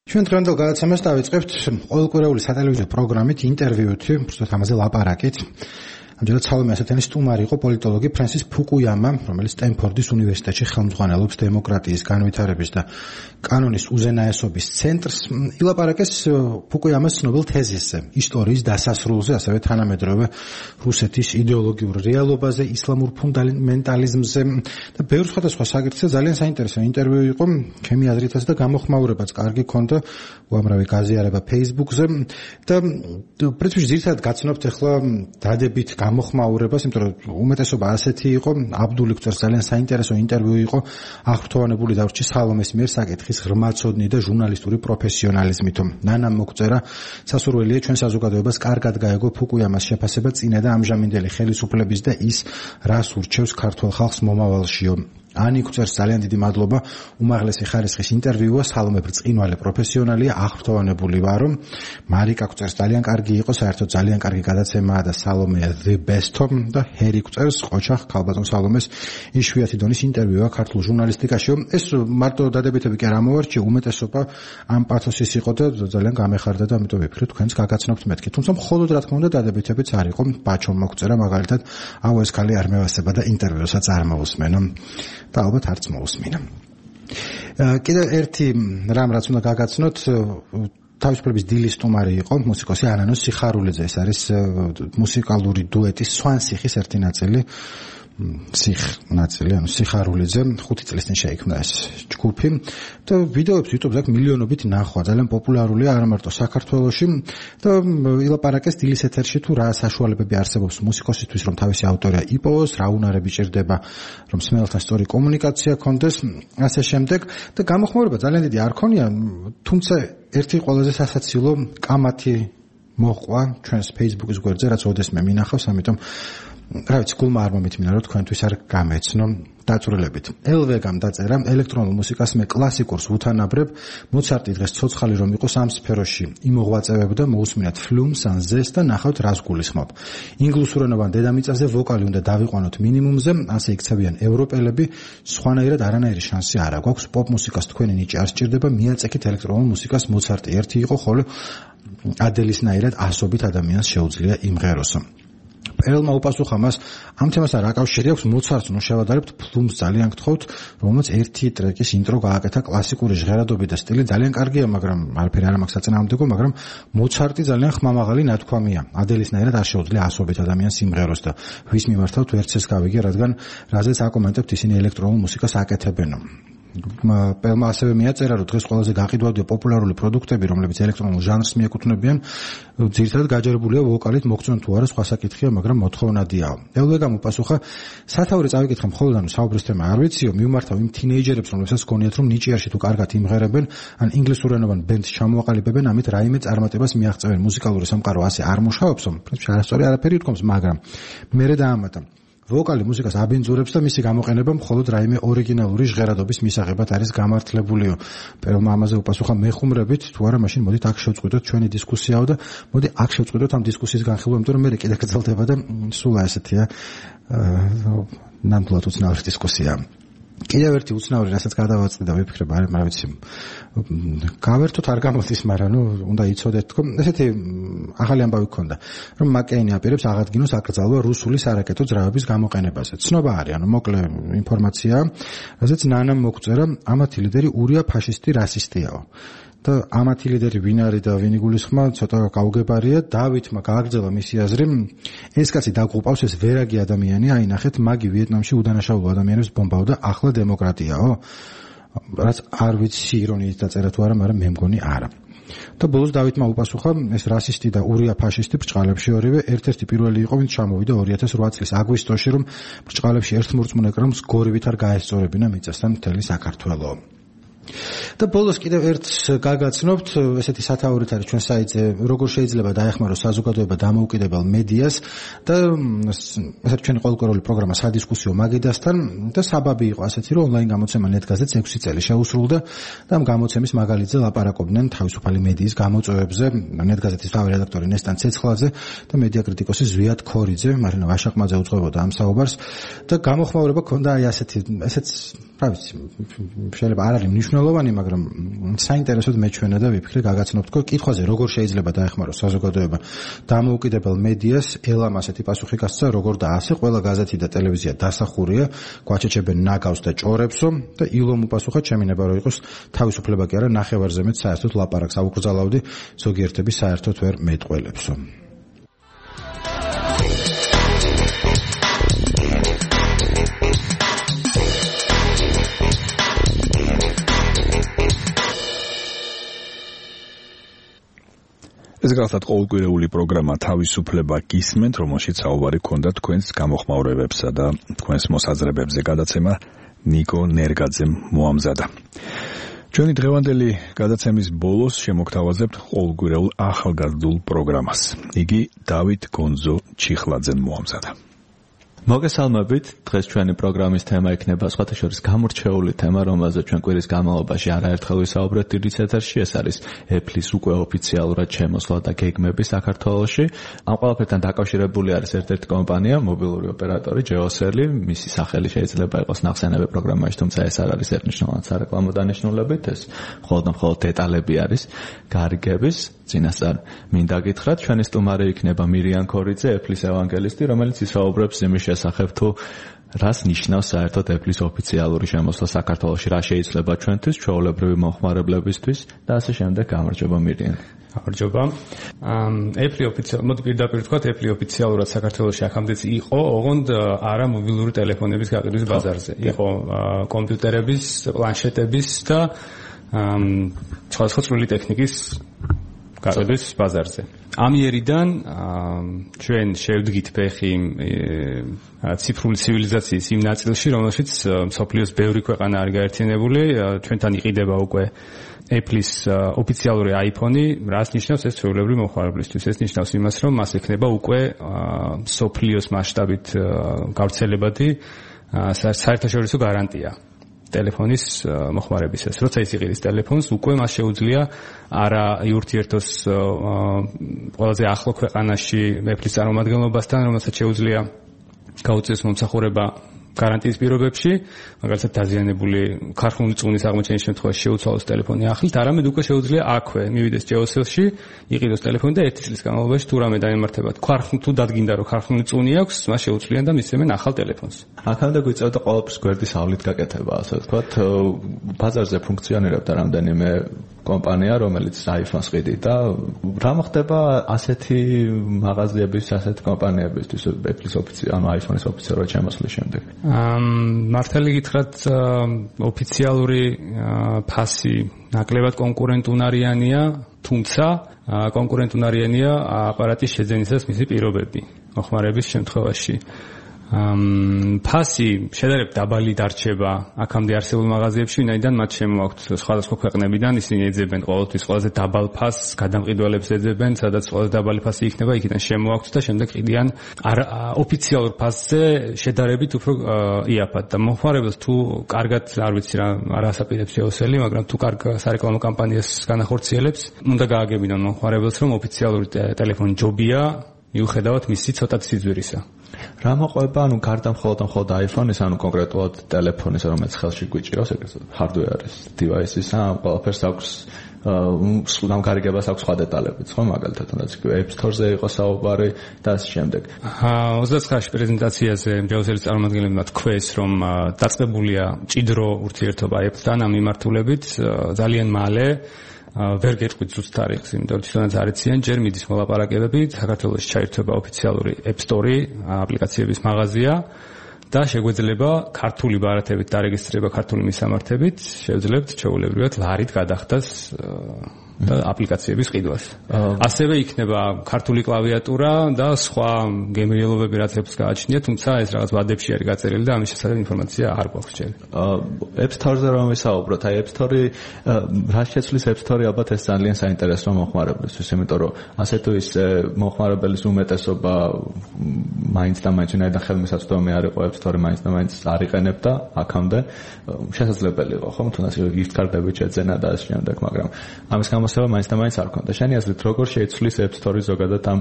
ჩვენ დღევანდელ გადაცემას დავიწყებთ ყოველკვირეული სატელევიზიო პროგრამით, ინტერვიუით, უბრალოდ ამაზე ლაპარაკით. ამჯერად სალომე ასათენის სტუმარი იყო პოლიტოლოგი ფრენსის ფუკუიამა, რომელიც სტენფორდის უნივერსიტეტში ხელმძღვანელობს დემოკრატიის, განვითარების და კანონის უზენაესობის ცენტრს. ილაპარაკეს ფუკუიამას ცნობილ თეზისზე, ისტორიის დასასრულზე, ასევე თანამედროვე რუსეთის იდეოლოგიურ რეალობაზე, ისლამურ ფუნდამენტალიზმზე და ბევრ სხვადასხვა საკითხზე. ძალიან საინტერესო ინტერვიუ იყო, ჩემი აზრითაც და გამოხმაურებაც კარგი ქონდა, უამრავი გაზიარება Facebook-ზე და პრინციპში ძირითადად გაცნობთ ახლა დადებით გამოხმაურებას, იმიტომ რომ უმეტესობა ასეთი იყო. აბდული გწერს ძალიან საინტერესო ინტერვიუ იყო, აღფრთოვანებული დავრჩი სალომეს მიერ საკითხის ღრმაცოდნი და ჟურნალისტური პროფესიონალიზმით. ნანამ მოგწერა სასურველია ჩვენ საზოგადოებას კარგად გაეგო ფუკუიამას შეფასება წინა და ამჟამინდელი ხელისუფლების და ის რას ურჩევს ქართულ ხალხს მომავალშიო. ანი გწერს ძალიან დიდი მადლობა, უმაღლესი ხარისხის ინტერვიუა, სალომე ბრწყინვალე პროფესიონალია, აღფრთოვანებული ვარო. მარიკა გწერს ძალიან კარგი იყო, საერთოდ ძალიან კარგი გადაცემაა და სალომე the best და ჰერი გწერს ყოჩახ ქალბატონ სალომეს იშვიათი დონის ინტერვიუა ქართულ ჟურნალისტიკაში. ეს მარტო დადებითები კი არ ამოვარჩიე, უმეტესობა ამ პათოსის იყო და ძალიან გამეხარდა და ამიტომ ვიფიქრე თქვენს გაგაცნობთ მეთქი. თუმცა მხოლოდ რა თქმა უნდა დადებითებიც არ იყო. ბაჩომ მოგწერა მაგალითად, აუ ეს ქალი არ მევასება და ინტერვიუსაც არ მოусმენო. და ალბათ არც მოусმინა. კიდევ ერთი რამ რაც უნდა გაგაცნოთ, თავისუფლების დილის სტუმარი იყო მუსიკოსი ანანო სიხარულიძე. ეს არის მუსიკალური დუეტის სვანსიხის ერთი ნაწილი. სიხ ნაწილი, ანუ სიხარულიძე, ხუთი წლის წინ შეიქმნა ეს ჯგუფი და ვიდეოებს YouTube-ზე აქვს მილიონობით ნახვა, ძალიან პოპულარულია არა მარტო საქართველოში და ილაპარაკეს დილის ეთერში თუ რა საშუალებები არსებობს მუსიკოსისთვის, რომ თავისი ავტორია იპოვოს, რა უნარები ჭირდება, რომ მსმენელთან სწორი კომუნიკაცია ქონდეს, ასე შემდეგ და გამოხმაურება ძალიან დიდი არ ქონია, თუმცა ერთი ყველაზე სასაცილო კამათი მოყვა ჩვენს Facebook-ის გვერდზე, რაც ოდესმე მინახავს, ამიტომ რა ვიცი, გულმა არ მომითმინა, რომ თქვენთვის არ გამეცნო დაწვრილებით. ელვეგამ დაწერა ელექტრონულ მუსიკას მე კლასიკურს უთანაბრებ, მოცარტი დღეს ცოცხალი რომ იყოს ამ სფეროში იმოღვაწევებდა, მოусმინათ ფლუმს ან ზეს და ნახავთ რას გულისხმობ. ინგლისურენოვან დედამიწაზე ვოკალი უნდა დავიყვანოთ მინიმუმზე, ასე იქცევიან ევროპელები, სხვანაირად არანაირი შანსი არ აქვს. პოპ მუსიკას თქვენი ნიჭი არ სჭირდება, მიაწექით ელექტრონულ მუსიკას. მოცარტი ერთი იყო, ხოლო ადელისნაირად ასობით ადამიანს შეუძლია იმღეროსო. პერელმა უპასუხა მას, ამ თემასთან რა კავშირი აქვს მოცარტს ნუ შევადარებთ ფლუმს ძალიან გთხოვთ, რომელსაც ერთი ტრეკის ინტრო გააკეთა კლასიკური ჟღერადობით და სტილი ძალიან კარგია, მაგრამ არაფერი არ მაქვს საწინააღმდეგო, მაგრამ მოცარტი ძალიან ხმამაღალი ნათქვამია. ადელისნაირად არ შეუძლია ასობით ადამიანს იმღეროს და ვის მიმართავთ ვერც ეს გავიგე, რადგან რაზეც აკომენტებთ ისინი ელექტრონულ მუსიკას აკეთებენო. პელმა ასევე მიაწერა, რომ დღეს ყველაზე გაყიდვადია პოპულარული პროდუქტები, რომლებიც ელექტრონულ ჟანრს მიეკუთვნებიან, ძირითადად გაჯერებულია ვოკალით, მოგწონთ თუ არა სხვა საკითხია, მაგრამ მოთხოვნადია. ელვეგამ უპასუხა, სათავე წავიკითხე მხოლოდ ანუ საუბრის თემა არ ვიციო, მიმართავ იმ თინეიჯერებს, რომლებსაც გონიათ, რომ ნიჭიერში თუ კარგად იმღერებენ, ან ინგლისურენოვან ბენდს ჩამოაყალიბებენ, ამით რაიმე წარმატებას მიაღწევენ. მუსიკალური სამყარო ასე არ მუშაობსო, პრინციპში არასწორი არაფერი უთქვამს, მაგრამ მერე დაამატა. ვოკალი მუსიკას აბინძურებს და მისი გამოყენება მხოლოდ რაიმე ორიგინალური ჟღერადობის მისაღებად არის გამართლებულიო. პირველმა ამაზე უპასუხა მეხუმრებით, თუ არა მაშინ მოდით აქ შევწყვიტოთ ჩვენი დისკუსიაო და მოდი აქ შევწყვიტოთ ამ დისკუსიის განხილვა, იმიტომ რომ მე კიდე გრძელდება და სულ ესეთია ნამდვილად უცნაური დისკუსია. კიდევ ერთი უცნაური, რასაც გადავაწყდი და ვიფიქრებ, არა, მაგრამ ვიცი, გავერთოთ არ გამოდის, მაგრამ ნუ უნდა იცოდეთ თქო, ესეთი ახალი ამბავი გქონდა, რომ მაკეინი აპირებს აღადგინოს აკრძალვა რუსული სარაკეტო ძრავების გამოყენებაზე. ცნობა არის, ანუ მოკლე ინფორმაცია, რასაც ნანამ მოგწერა, ამათი ლიდერი ურია ფაშისტი რასისტიაო. და ამათი ლიდერი ვინ არის და ვინ იგულისხმა, ცოტა გაუგებარია. დავითმა გააგრძელა მისი აზრი, ეს კაცი დაგუყავს, ეს ვერაგი ადამიანია, აინახეთ, მაგი ვიეტნამში უდანაშაულო ადამიანებს ბომბავდა, ახლა დემოკრატიაო. რაც არ ვიცი ირონიით დაწერა თუ არა, მაგრამ მე მგონი არა. და ბოლოს დავითმა უპასუხა, ეს რასისტი და ურია ფაშისტი ბრჭყალებში ორივე ერთ-ერთი პირველი იყო, ვინც ჩამოვიდა ორი ათას ოთხ წლის აგვისტოში, რომ ბრჭყალებში ერთ მორწმუნე კრამს გორივით არ გაესწორებინა მიწასთან მთელი საქართველო. და ბოლოს კიდევ ერთს გაგაცნობთ, ესეთი სათაურით არის ჩვენ საიტზე, როგორ შეიძლება დაეხმაროს საზოგადოება დამოუკიდებელ მედიას და ესეთი ჩვენი ყოველკვირეული პროგრამა სადისკუსიო მაგიდასთან და საბაბი იყო ასეთი, რომ ონლაინ გამოცემა ნეტგაზეთს ექვსი წელი შეუსრულდა და ამ გამოცემის მაგალითზე ლაპარაკობდნენ თავისუფალი მედიის გამოწვევებზე, ნეტგაზეთის თავი რედაქტორი ნესტან ცეცხლაძე და მედია კრიტიკოსი ზვიად ქორიძე, მარინა ვაშაკმაძე უძღვებოდა ამ საუბარს და გამოხმაურება ქონდა აი ასეთი, ესეც რა ვიცი, შეიძლება არ არის მნიშვნელოვანი, მაგრამ საინტერესოდ მეჩვენა და ვიფიქრე გაგაცნობთ, რომ კითხვაზე როგორ შეიძლება დაეხმაროს საზოგადოება დამოუკიდებელ მედიას, ელამ ასეთი პასუხი გასცა, როგორ და ასე, ყველა გაზეთი და ტელევიზია დასახურია, გვაჩეჩებენ ნაგავს და ჭორებსო და ილომ უპასუხა, ჩემი ნება რომ იყოს თავისუფლება კი არა, ნახევარზე მეტ საერთოდ ლაპარაკს აუკრძალავდი, ზოგიერთები საერთოდ ვერ მეტყველებსო.
ეს გახლავთ ყოველკვირეული პროგრამა თავისუფლება გისმენთ, რომელშიც საუბარი გქონდა თქვენს გამოხმაურებებსა და თქვენს მოსაზრებებზე. გადაცემა ნიკო ნერგაძემ მოამზადა. ჩვენი დღევანდელი გადაცემის ბოლოს შემოგთავაზებთ ყოველკვირეულ ახალგაზრდულ პროგრამას. იგი დავით გონძო ჩიხლაძემ მოამზადა.
მოგესალმებით, დღეს ჩვენი პროგრამის თემა იქნება სხვათა შორის გამორჩეული თემა, რომელზეც ჩვენ კვირის განმავლობაში არაერთხელ ვისაუბრეთ დიდ ეთერში, ეს არის Apple-ის უკვე ოფიციალურად შემოსვლა და გეგმები საქართველოში. ამ ყველაფერთან დაკავშირებული არის ერთ-ერთი კომპანია, მობილური ოპერატორი Geocell, მისი სახელი შეიძლება იყოს ნახსენები პროგრამაში, თუმცა ეს არ არის ერთნიშნულად სარეკლამო დანიშნულებით, ეს მხოლოდ და მხოლოდ დეტალები არის გარიგების. წინასწარ მინდა გითხრათ, ჩვენი სტუმარი იქნება მირიან ქორიძე, Apple-ის ევანგელისტი, რომელიც ისაუბრებს იმის შესახებ, თუ რას ნიშნავს საერთოდ Apple-ის ოფიციალური შემოსვლა საქართველოში, რა შეიძლება ჩვენთვის, ჩვეულებრივი მომხმარებლებისთვის და ასე შემდეგ. გამარჯობა მირიან.
გამარჯობა. Apple ოფიციალურად, მოდი პირდაპირ ვთქვათ, Apple ოფიციალურად საქართველოში აქამდეც იყო, ოღონდ არა მობილური ტელეფონების გაყიდვის ბაზარზე. იყო კომპიუტერების, პლანშეტების და სხვადასხვა წვრილი ტექნიკის გაყიდვის ბაზარზე. ამ იერიდან ჩვენ შევდგით ფეხი ციფრული ცივილიზაციის იმ ნაწილში, რომელშიც მსოფლიოს ბევრი ქვეყანა არის გაერთიანებული, ჩვენთან იყიდება უკვე Apple-ის ოფიციალური iPhone-ი, რაც ნიშნავს ეს ჩვეულებრივი მომხმარებლისთვის. ეს ნიშნავს იმას, რომ მას ექნება უკვე მსოფლიოს მასშტაბით გავრცელებადი საერთაშორისო გარანტია ტელეფონის მოხმარებისას. როცა ის იყიდის ტელეფონს, უკვე მას შეუძლია არა იურთიერთოს ყველაზე ახლო ქვეყანაში Apple-ის წარმომადგენლობასთან, რომელსაც შეუძლია გაუწიოს მომსახურება გარანტიის პირობებში, მაგალითად დაზიანებული ქარხნული წუნის აღმოჩენის შემთხვევაში შეუცვალოს ტელეფონი ახლით, არამედ უკვე შეუძლია აქვე მივიდეს Geocell-ში, იყიდოს ტელეფონი და ერთი წლის განმავლობაში თუ რამე დაემართება ქარხნულ თუ დადგინდა რომ ქარხნული წუნი აქვს, მას შეუძლიან და მისცემენ ახალ ტელეფონს.
აქამდე გვიწევდა ყოველთვის გვერდის ავლით გაკეთება, ასე ვთქვათ, ბაზარზე ფუნქციონირებდა რამდენიმე კომპანია, რომელიც iPhone-ს ყიდით და რა მოხდება ასეთი მაღაზიების, ასეთი კომპანიებისთვის Apple-ის ოფიციალ, ანუ iPhone-ის ოფიციალურად შემოსვლის შემდეგ?
მართალი გითხრათ, ოფიციალური ფასი ნაკლებად კონკურენტუნარიანია, თუმცა კონკურენტუნარიანია აპარატის შეძენისას მისი პირობები მოხმარების შემთხვევაში. ამ ფასი შედარებით დაბალი დარჩება აქამდე არსებულ მაღაზიებში, ვინაიდან მათ შემოაქვთ სხვადასხვა ქვეყნებიდან, ისინი ეძებენ ყოველთვის ყველაზე დაბალ ფასს, გადამყიდველებს ეძებენ, სადაც ყველაზე დაბალი ფასი იქნება, იქიდან შემოაქვთ და შემდეგ ყიდიან ოფიციალურ ფასზე შედარებით უფრო იაფად და მომხმარებელს თუ კარგად არ ვიცი რა არასაპირებს შეოსელი, მაგრამ თუ კარგ სარეკლამო კამპანიას განახორციელებს, უნდა გააგებინონ მომხმარებელს, რომ ოფიციალური ტელეფონი ჯობია, მიუხედავად მისი ცოტა სიძვირისა.
რა მოყვება, ანუ გარდა მხოლოდ მხოლოდ iPhone-ის, ანუ კონკრეტულად ტელეფონის, რომელიც ხელში გვიჭირავს, ეგრეთ hardware-ის, device-ის, ამ ყველაფერს აქვს სულ გამგარიგებას აქვს სხვა დეტალებიც, ხო, მაგალითად, თუნდაც App Store-ზე იყო საუბარი და ამ შემდეგ.
ოცდათხმეტში პრეზენტაციაზე ჯაოსელის წარმომადგენლებმა თქვეს, რომ დაწყებულია მჭიდრო ურთიერთობა Apple-თან ამ მიმართულებით, ძალიან მალე ვერ გეტყვით ზუსტ თარიღს, იმიტომ რომ თვითონაც არ იციან, ჯერ მიდის მოლაპარაკებები, საქართველოში ჩაირთვება ოფიციალური App Store-ი, აპლიკაციების მაღაზია და შეგვეძლება ქართული ბარათებით დარეგისტრირება ქართული მისამართებით, შევძლებთ ჩვეულებრივად ლარით გადახდას და აპლიკაციების ყიდვას. ასევე იქნება ქართული კლავიატურა და სხვა გემრიელობები, რაც Apple-ს გააჩნია, თუმცა ეს რაღაც ვადებში არის გაწერილი და ამის შესახებ ინფორმაცია არ გვაქვს ჯერ.
App Store-ზე რომ ვისაუბროთ, აი App Store-ი რა შეცვლის App Store-ი ალბათ ეს ძალიან საინტერესოა მომხმარებლისთვის, იმიტომ რომ ასე თუ ისე მომხმარებლის უმეტესობა მაინც და მაინც ვინაიდან ხელმისაწვდომი არ იყო App Store-ი მაინც და მაინც არ იყენებდა აქამდე, შესაძლებელი იყო, ხო, თუნდაც gift card-ები შეძენა და ამ შემდეგ, მაგრამ ამის გამოსება მაინც და მაინც არ ქონდა. შენი აზრით, როგორ შეიცვლის App Store-ი ზოგადად ამ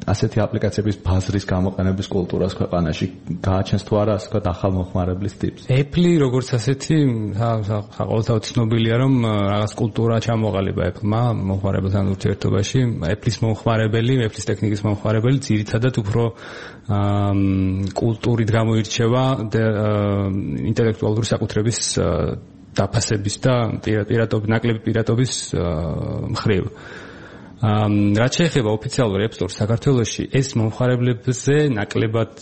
ასეთი აპლიკაციების ბაზრის გამოყენების კულტურას ქვეყანაში? გააჩენს თუ არა ასე ვთქვათ ახალ მომხმარებლის ტიპს?
Apple-ი როგორც ასეთი ყოველთვის ცნობილია, რომ რაღაც კულტურა ჩამოყალიბა Apple-მა მომხმარებელთან ურთიერთობაში. Apple-ის მომხმარებელი, Apple-ის ტექნიკის მომხმარებელი ძირითადად უფრო კულტურით გამოირჩევა ინტელექტუალური საკუთრების დაფასების და პირატობის, ნაკლები პირატობის მხრივ. რაც შეეხება ოფიციალურ App Store-ს საქართველოში, ეს მომხმარებლებზე ნაკლებად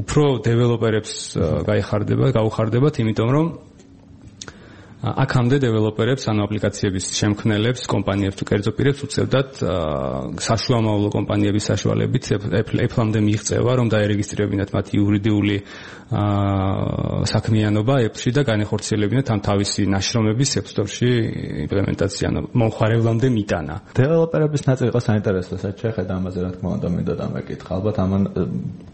უფრო დეველოპერებს გაიხარდება, გაუხარდებათ, იმიტომ რომ აქამდე დეველოპერებს, ანუ აპლიკაციების შემქმნელებს, კომპანიებს თუ კერძო პირებს უწევდათ საშუამავლო კომპანიების საშუალებით Apple-ამდე მიიღწევა, რომ დაერეგისტრირებინათ მათი იურიდიული საქმიანობა Apple-ში და განეხორციელებინათ ამ თავისი ნაშრომების App Store-ში იმპლემენტაცია, ანუ მომხმარებლამდე მიტანა.
დეველოპერების ნაწილი იყო საინტერესო, რაც შეხედა ამაზე, რა თქმა უნდა, მინდა დამეკითხა. ალბათ ამან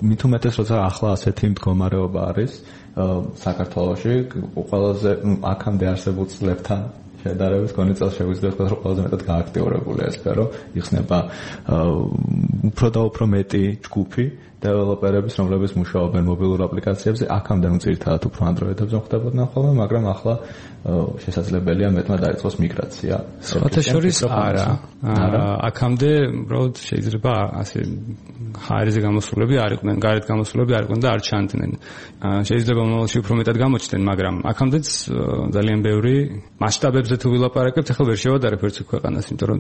მით უმეტეს, როცა ახლა ასეთი მდგომარეობა არის საქართველოში, ყველაზე აქამდე არსებულ წლებთან შედარებით კონი წელს შეგვიძლია ვთქვათ, რომ ყველაზე მეტად გააქტიურებული ეს სფერო, იხსნება უფრო და უფრო მეტი ჯგუფი დეველოპერების, რომლებიც მუშაობენ მობილურ აპლიკაციებზე, აქამდე ნუ ძირითადად უფრო Android-ებზე ხდებოდნენ ხოლმე, მაგრამ ახლა შესაძლებელია მეტმა დაიწყოს მიგრაცია.
სხვათა შორის არა. აქამდე უბრალოდ შეიძლება ასე ჰაერზე გამოსულები არ იყვნენ, გარეთ გამოსულები არ იყვნენ და არ ჩანდნენ. შეიძლება მომავალში უფრო მეტად გამოჩნდნენ, მაგრამ აქამდეც ძალიან ბევრი მასშტაბებზე თუ ვილაპარაკებთ, ახლა ვერ შევადარებ ერთ ქვეყანას, იმიტომ რომ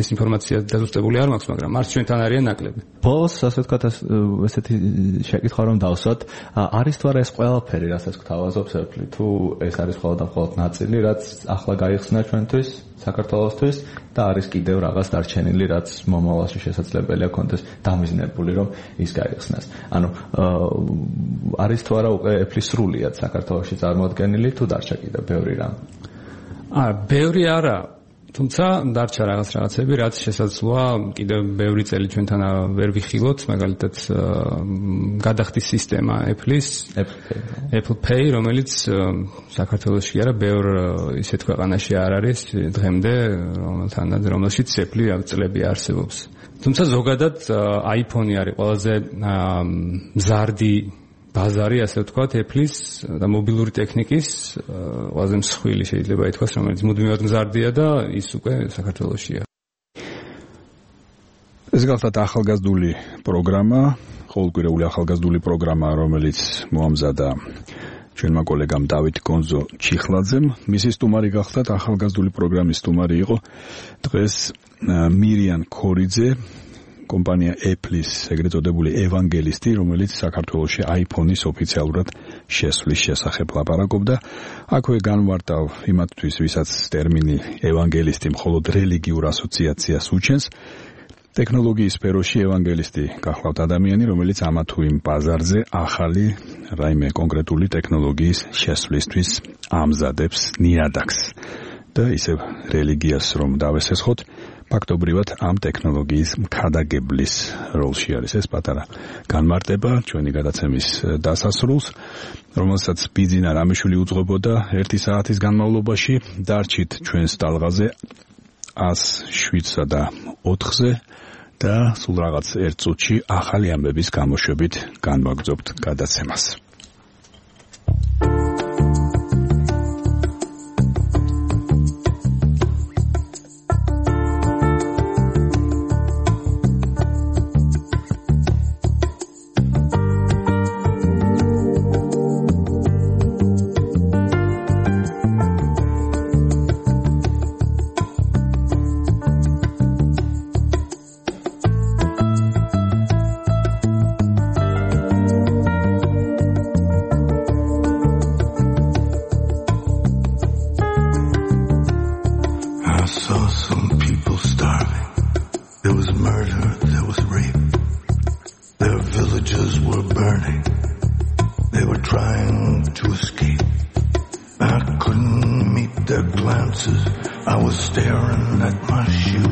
ეს ინფორმაცია დაზუსტებული არ მაქვს, მაგრამ არც ჩვენთან არიან ნაკლები.
ბოლოს ასე ვთქვათ, ესეთი შეკითხვა რომ დავსვათ, არის თუ არა ეს ყველაფერი, რასაც გვთავაზობს Apple, თუ ეს არის მხოლოდ და მხოლოდ ნაწილი, რაც ახლა გაიხსნა ჩვენთვის, საქართველოსთვის და არის კიდევ რაღაც დარჩენილი, რაც მომავალში შესაძლებელია კონდეს დამიზნებული, რომ ის გაიხსნას. ანუ არის თუ არა უკვე Apple-ის სრულიად საქართველოში წარმოადგენილი, თუ დარჩა კიდევ ბევრი რამ?
აა, ბევრი არა. თუმცა დარჩა რაღაც რაღაცები, რაც შესაძლოა კიდევ ბევრი წელი ჩვენთან ვერ ვიხილოთ, მაგალითად გადახდის სისტემა Apple-ის, Apple Pay, რომელიც საქართველოში არა, ბევრ ისეთ ქვეყანაში არ არის დღემდე, რომელთანაც რომელშიც Apple-ი წლები არსებობს. თუმცა ზოგადად iPhone-ი არის ყველაზე მზარდი ბაზარი, ასე ვთქვათ, Apple-ის და მობილური ტექნიკის ყველაზე მსხვილი შეიძლება ითქვას, რომელიც მუდმივად მზარდია და ის უკვე საქართველოშია.
ეს გახლავთ ახალგაზრდული პროგრამა, ყოველკვირეული ახალგაზრდული პროგრამა, რომელიც მოამზადა ჩვენმა კოლეგამ დავით გონზო ჩიხლაძემ. მისი სტუმარი გახლავთ ახალგაზრდული პროგრამის სტუმარი იყო დღეს მირიან ქორიძე, კომპანია Apple-ის ეგრეთ წოდებული ევანგელისტი, რომელიც საქართველოში iPhone-ის ოფიციალურად შესვლის შესახებ ლაპარაკობდა. აქვე განვარტავ იმათთვის, ვისაც ტერმინი ევანგელისტი მხოლოდ რელიგიურ ასოციაციას უჩენს ტექნოლოგიის სფეროში ევანგელისტი გახლავთ ადამიანი, რომელიც ამა თუ იმ ბაზარზე ახალი რაიმე კონკრეტული ტექნოლოგიის შესვლისთვის ამზადებს ნიადაგს და ისევ რელიგიას რომ დავესესხოთ, ფაქტობრივად ამ ტექნოლოგიის მქადაგებლის როლში არის ეს პატარა განმარტება ჩვენი გადაცემის დასასრულს, რომელსაც ბიძინა რამიშვილი უძღვებოდა ერთი საათის განმავლობაში. დარჩით ჩვენს ტალღაზე ას შვიდსა და ოთხზე და სულ რაღაც ერთ წუთში ახალი ამბების გამოშვებით განვაგრძობთ გადაცემას.
I was staring at my shoes.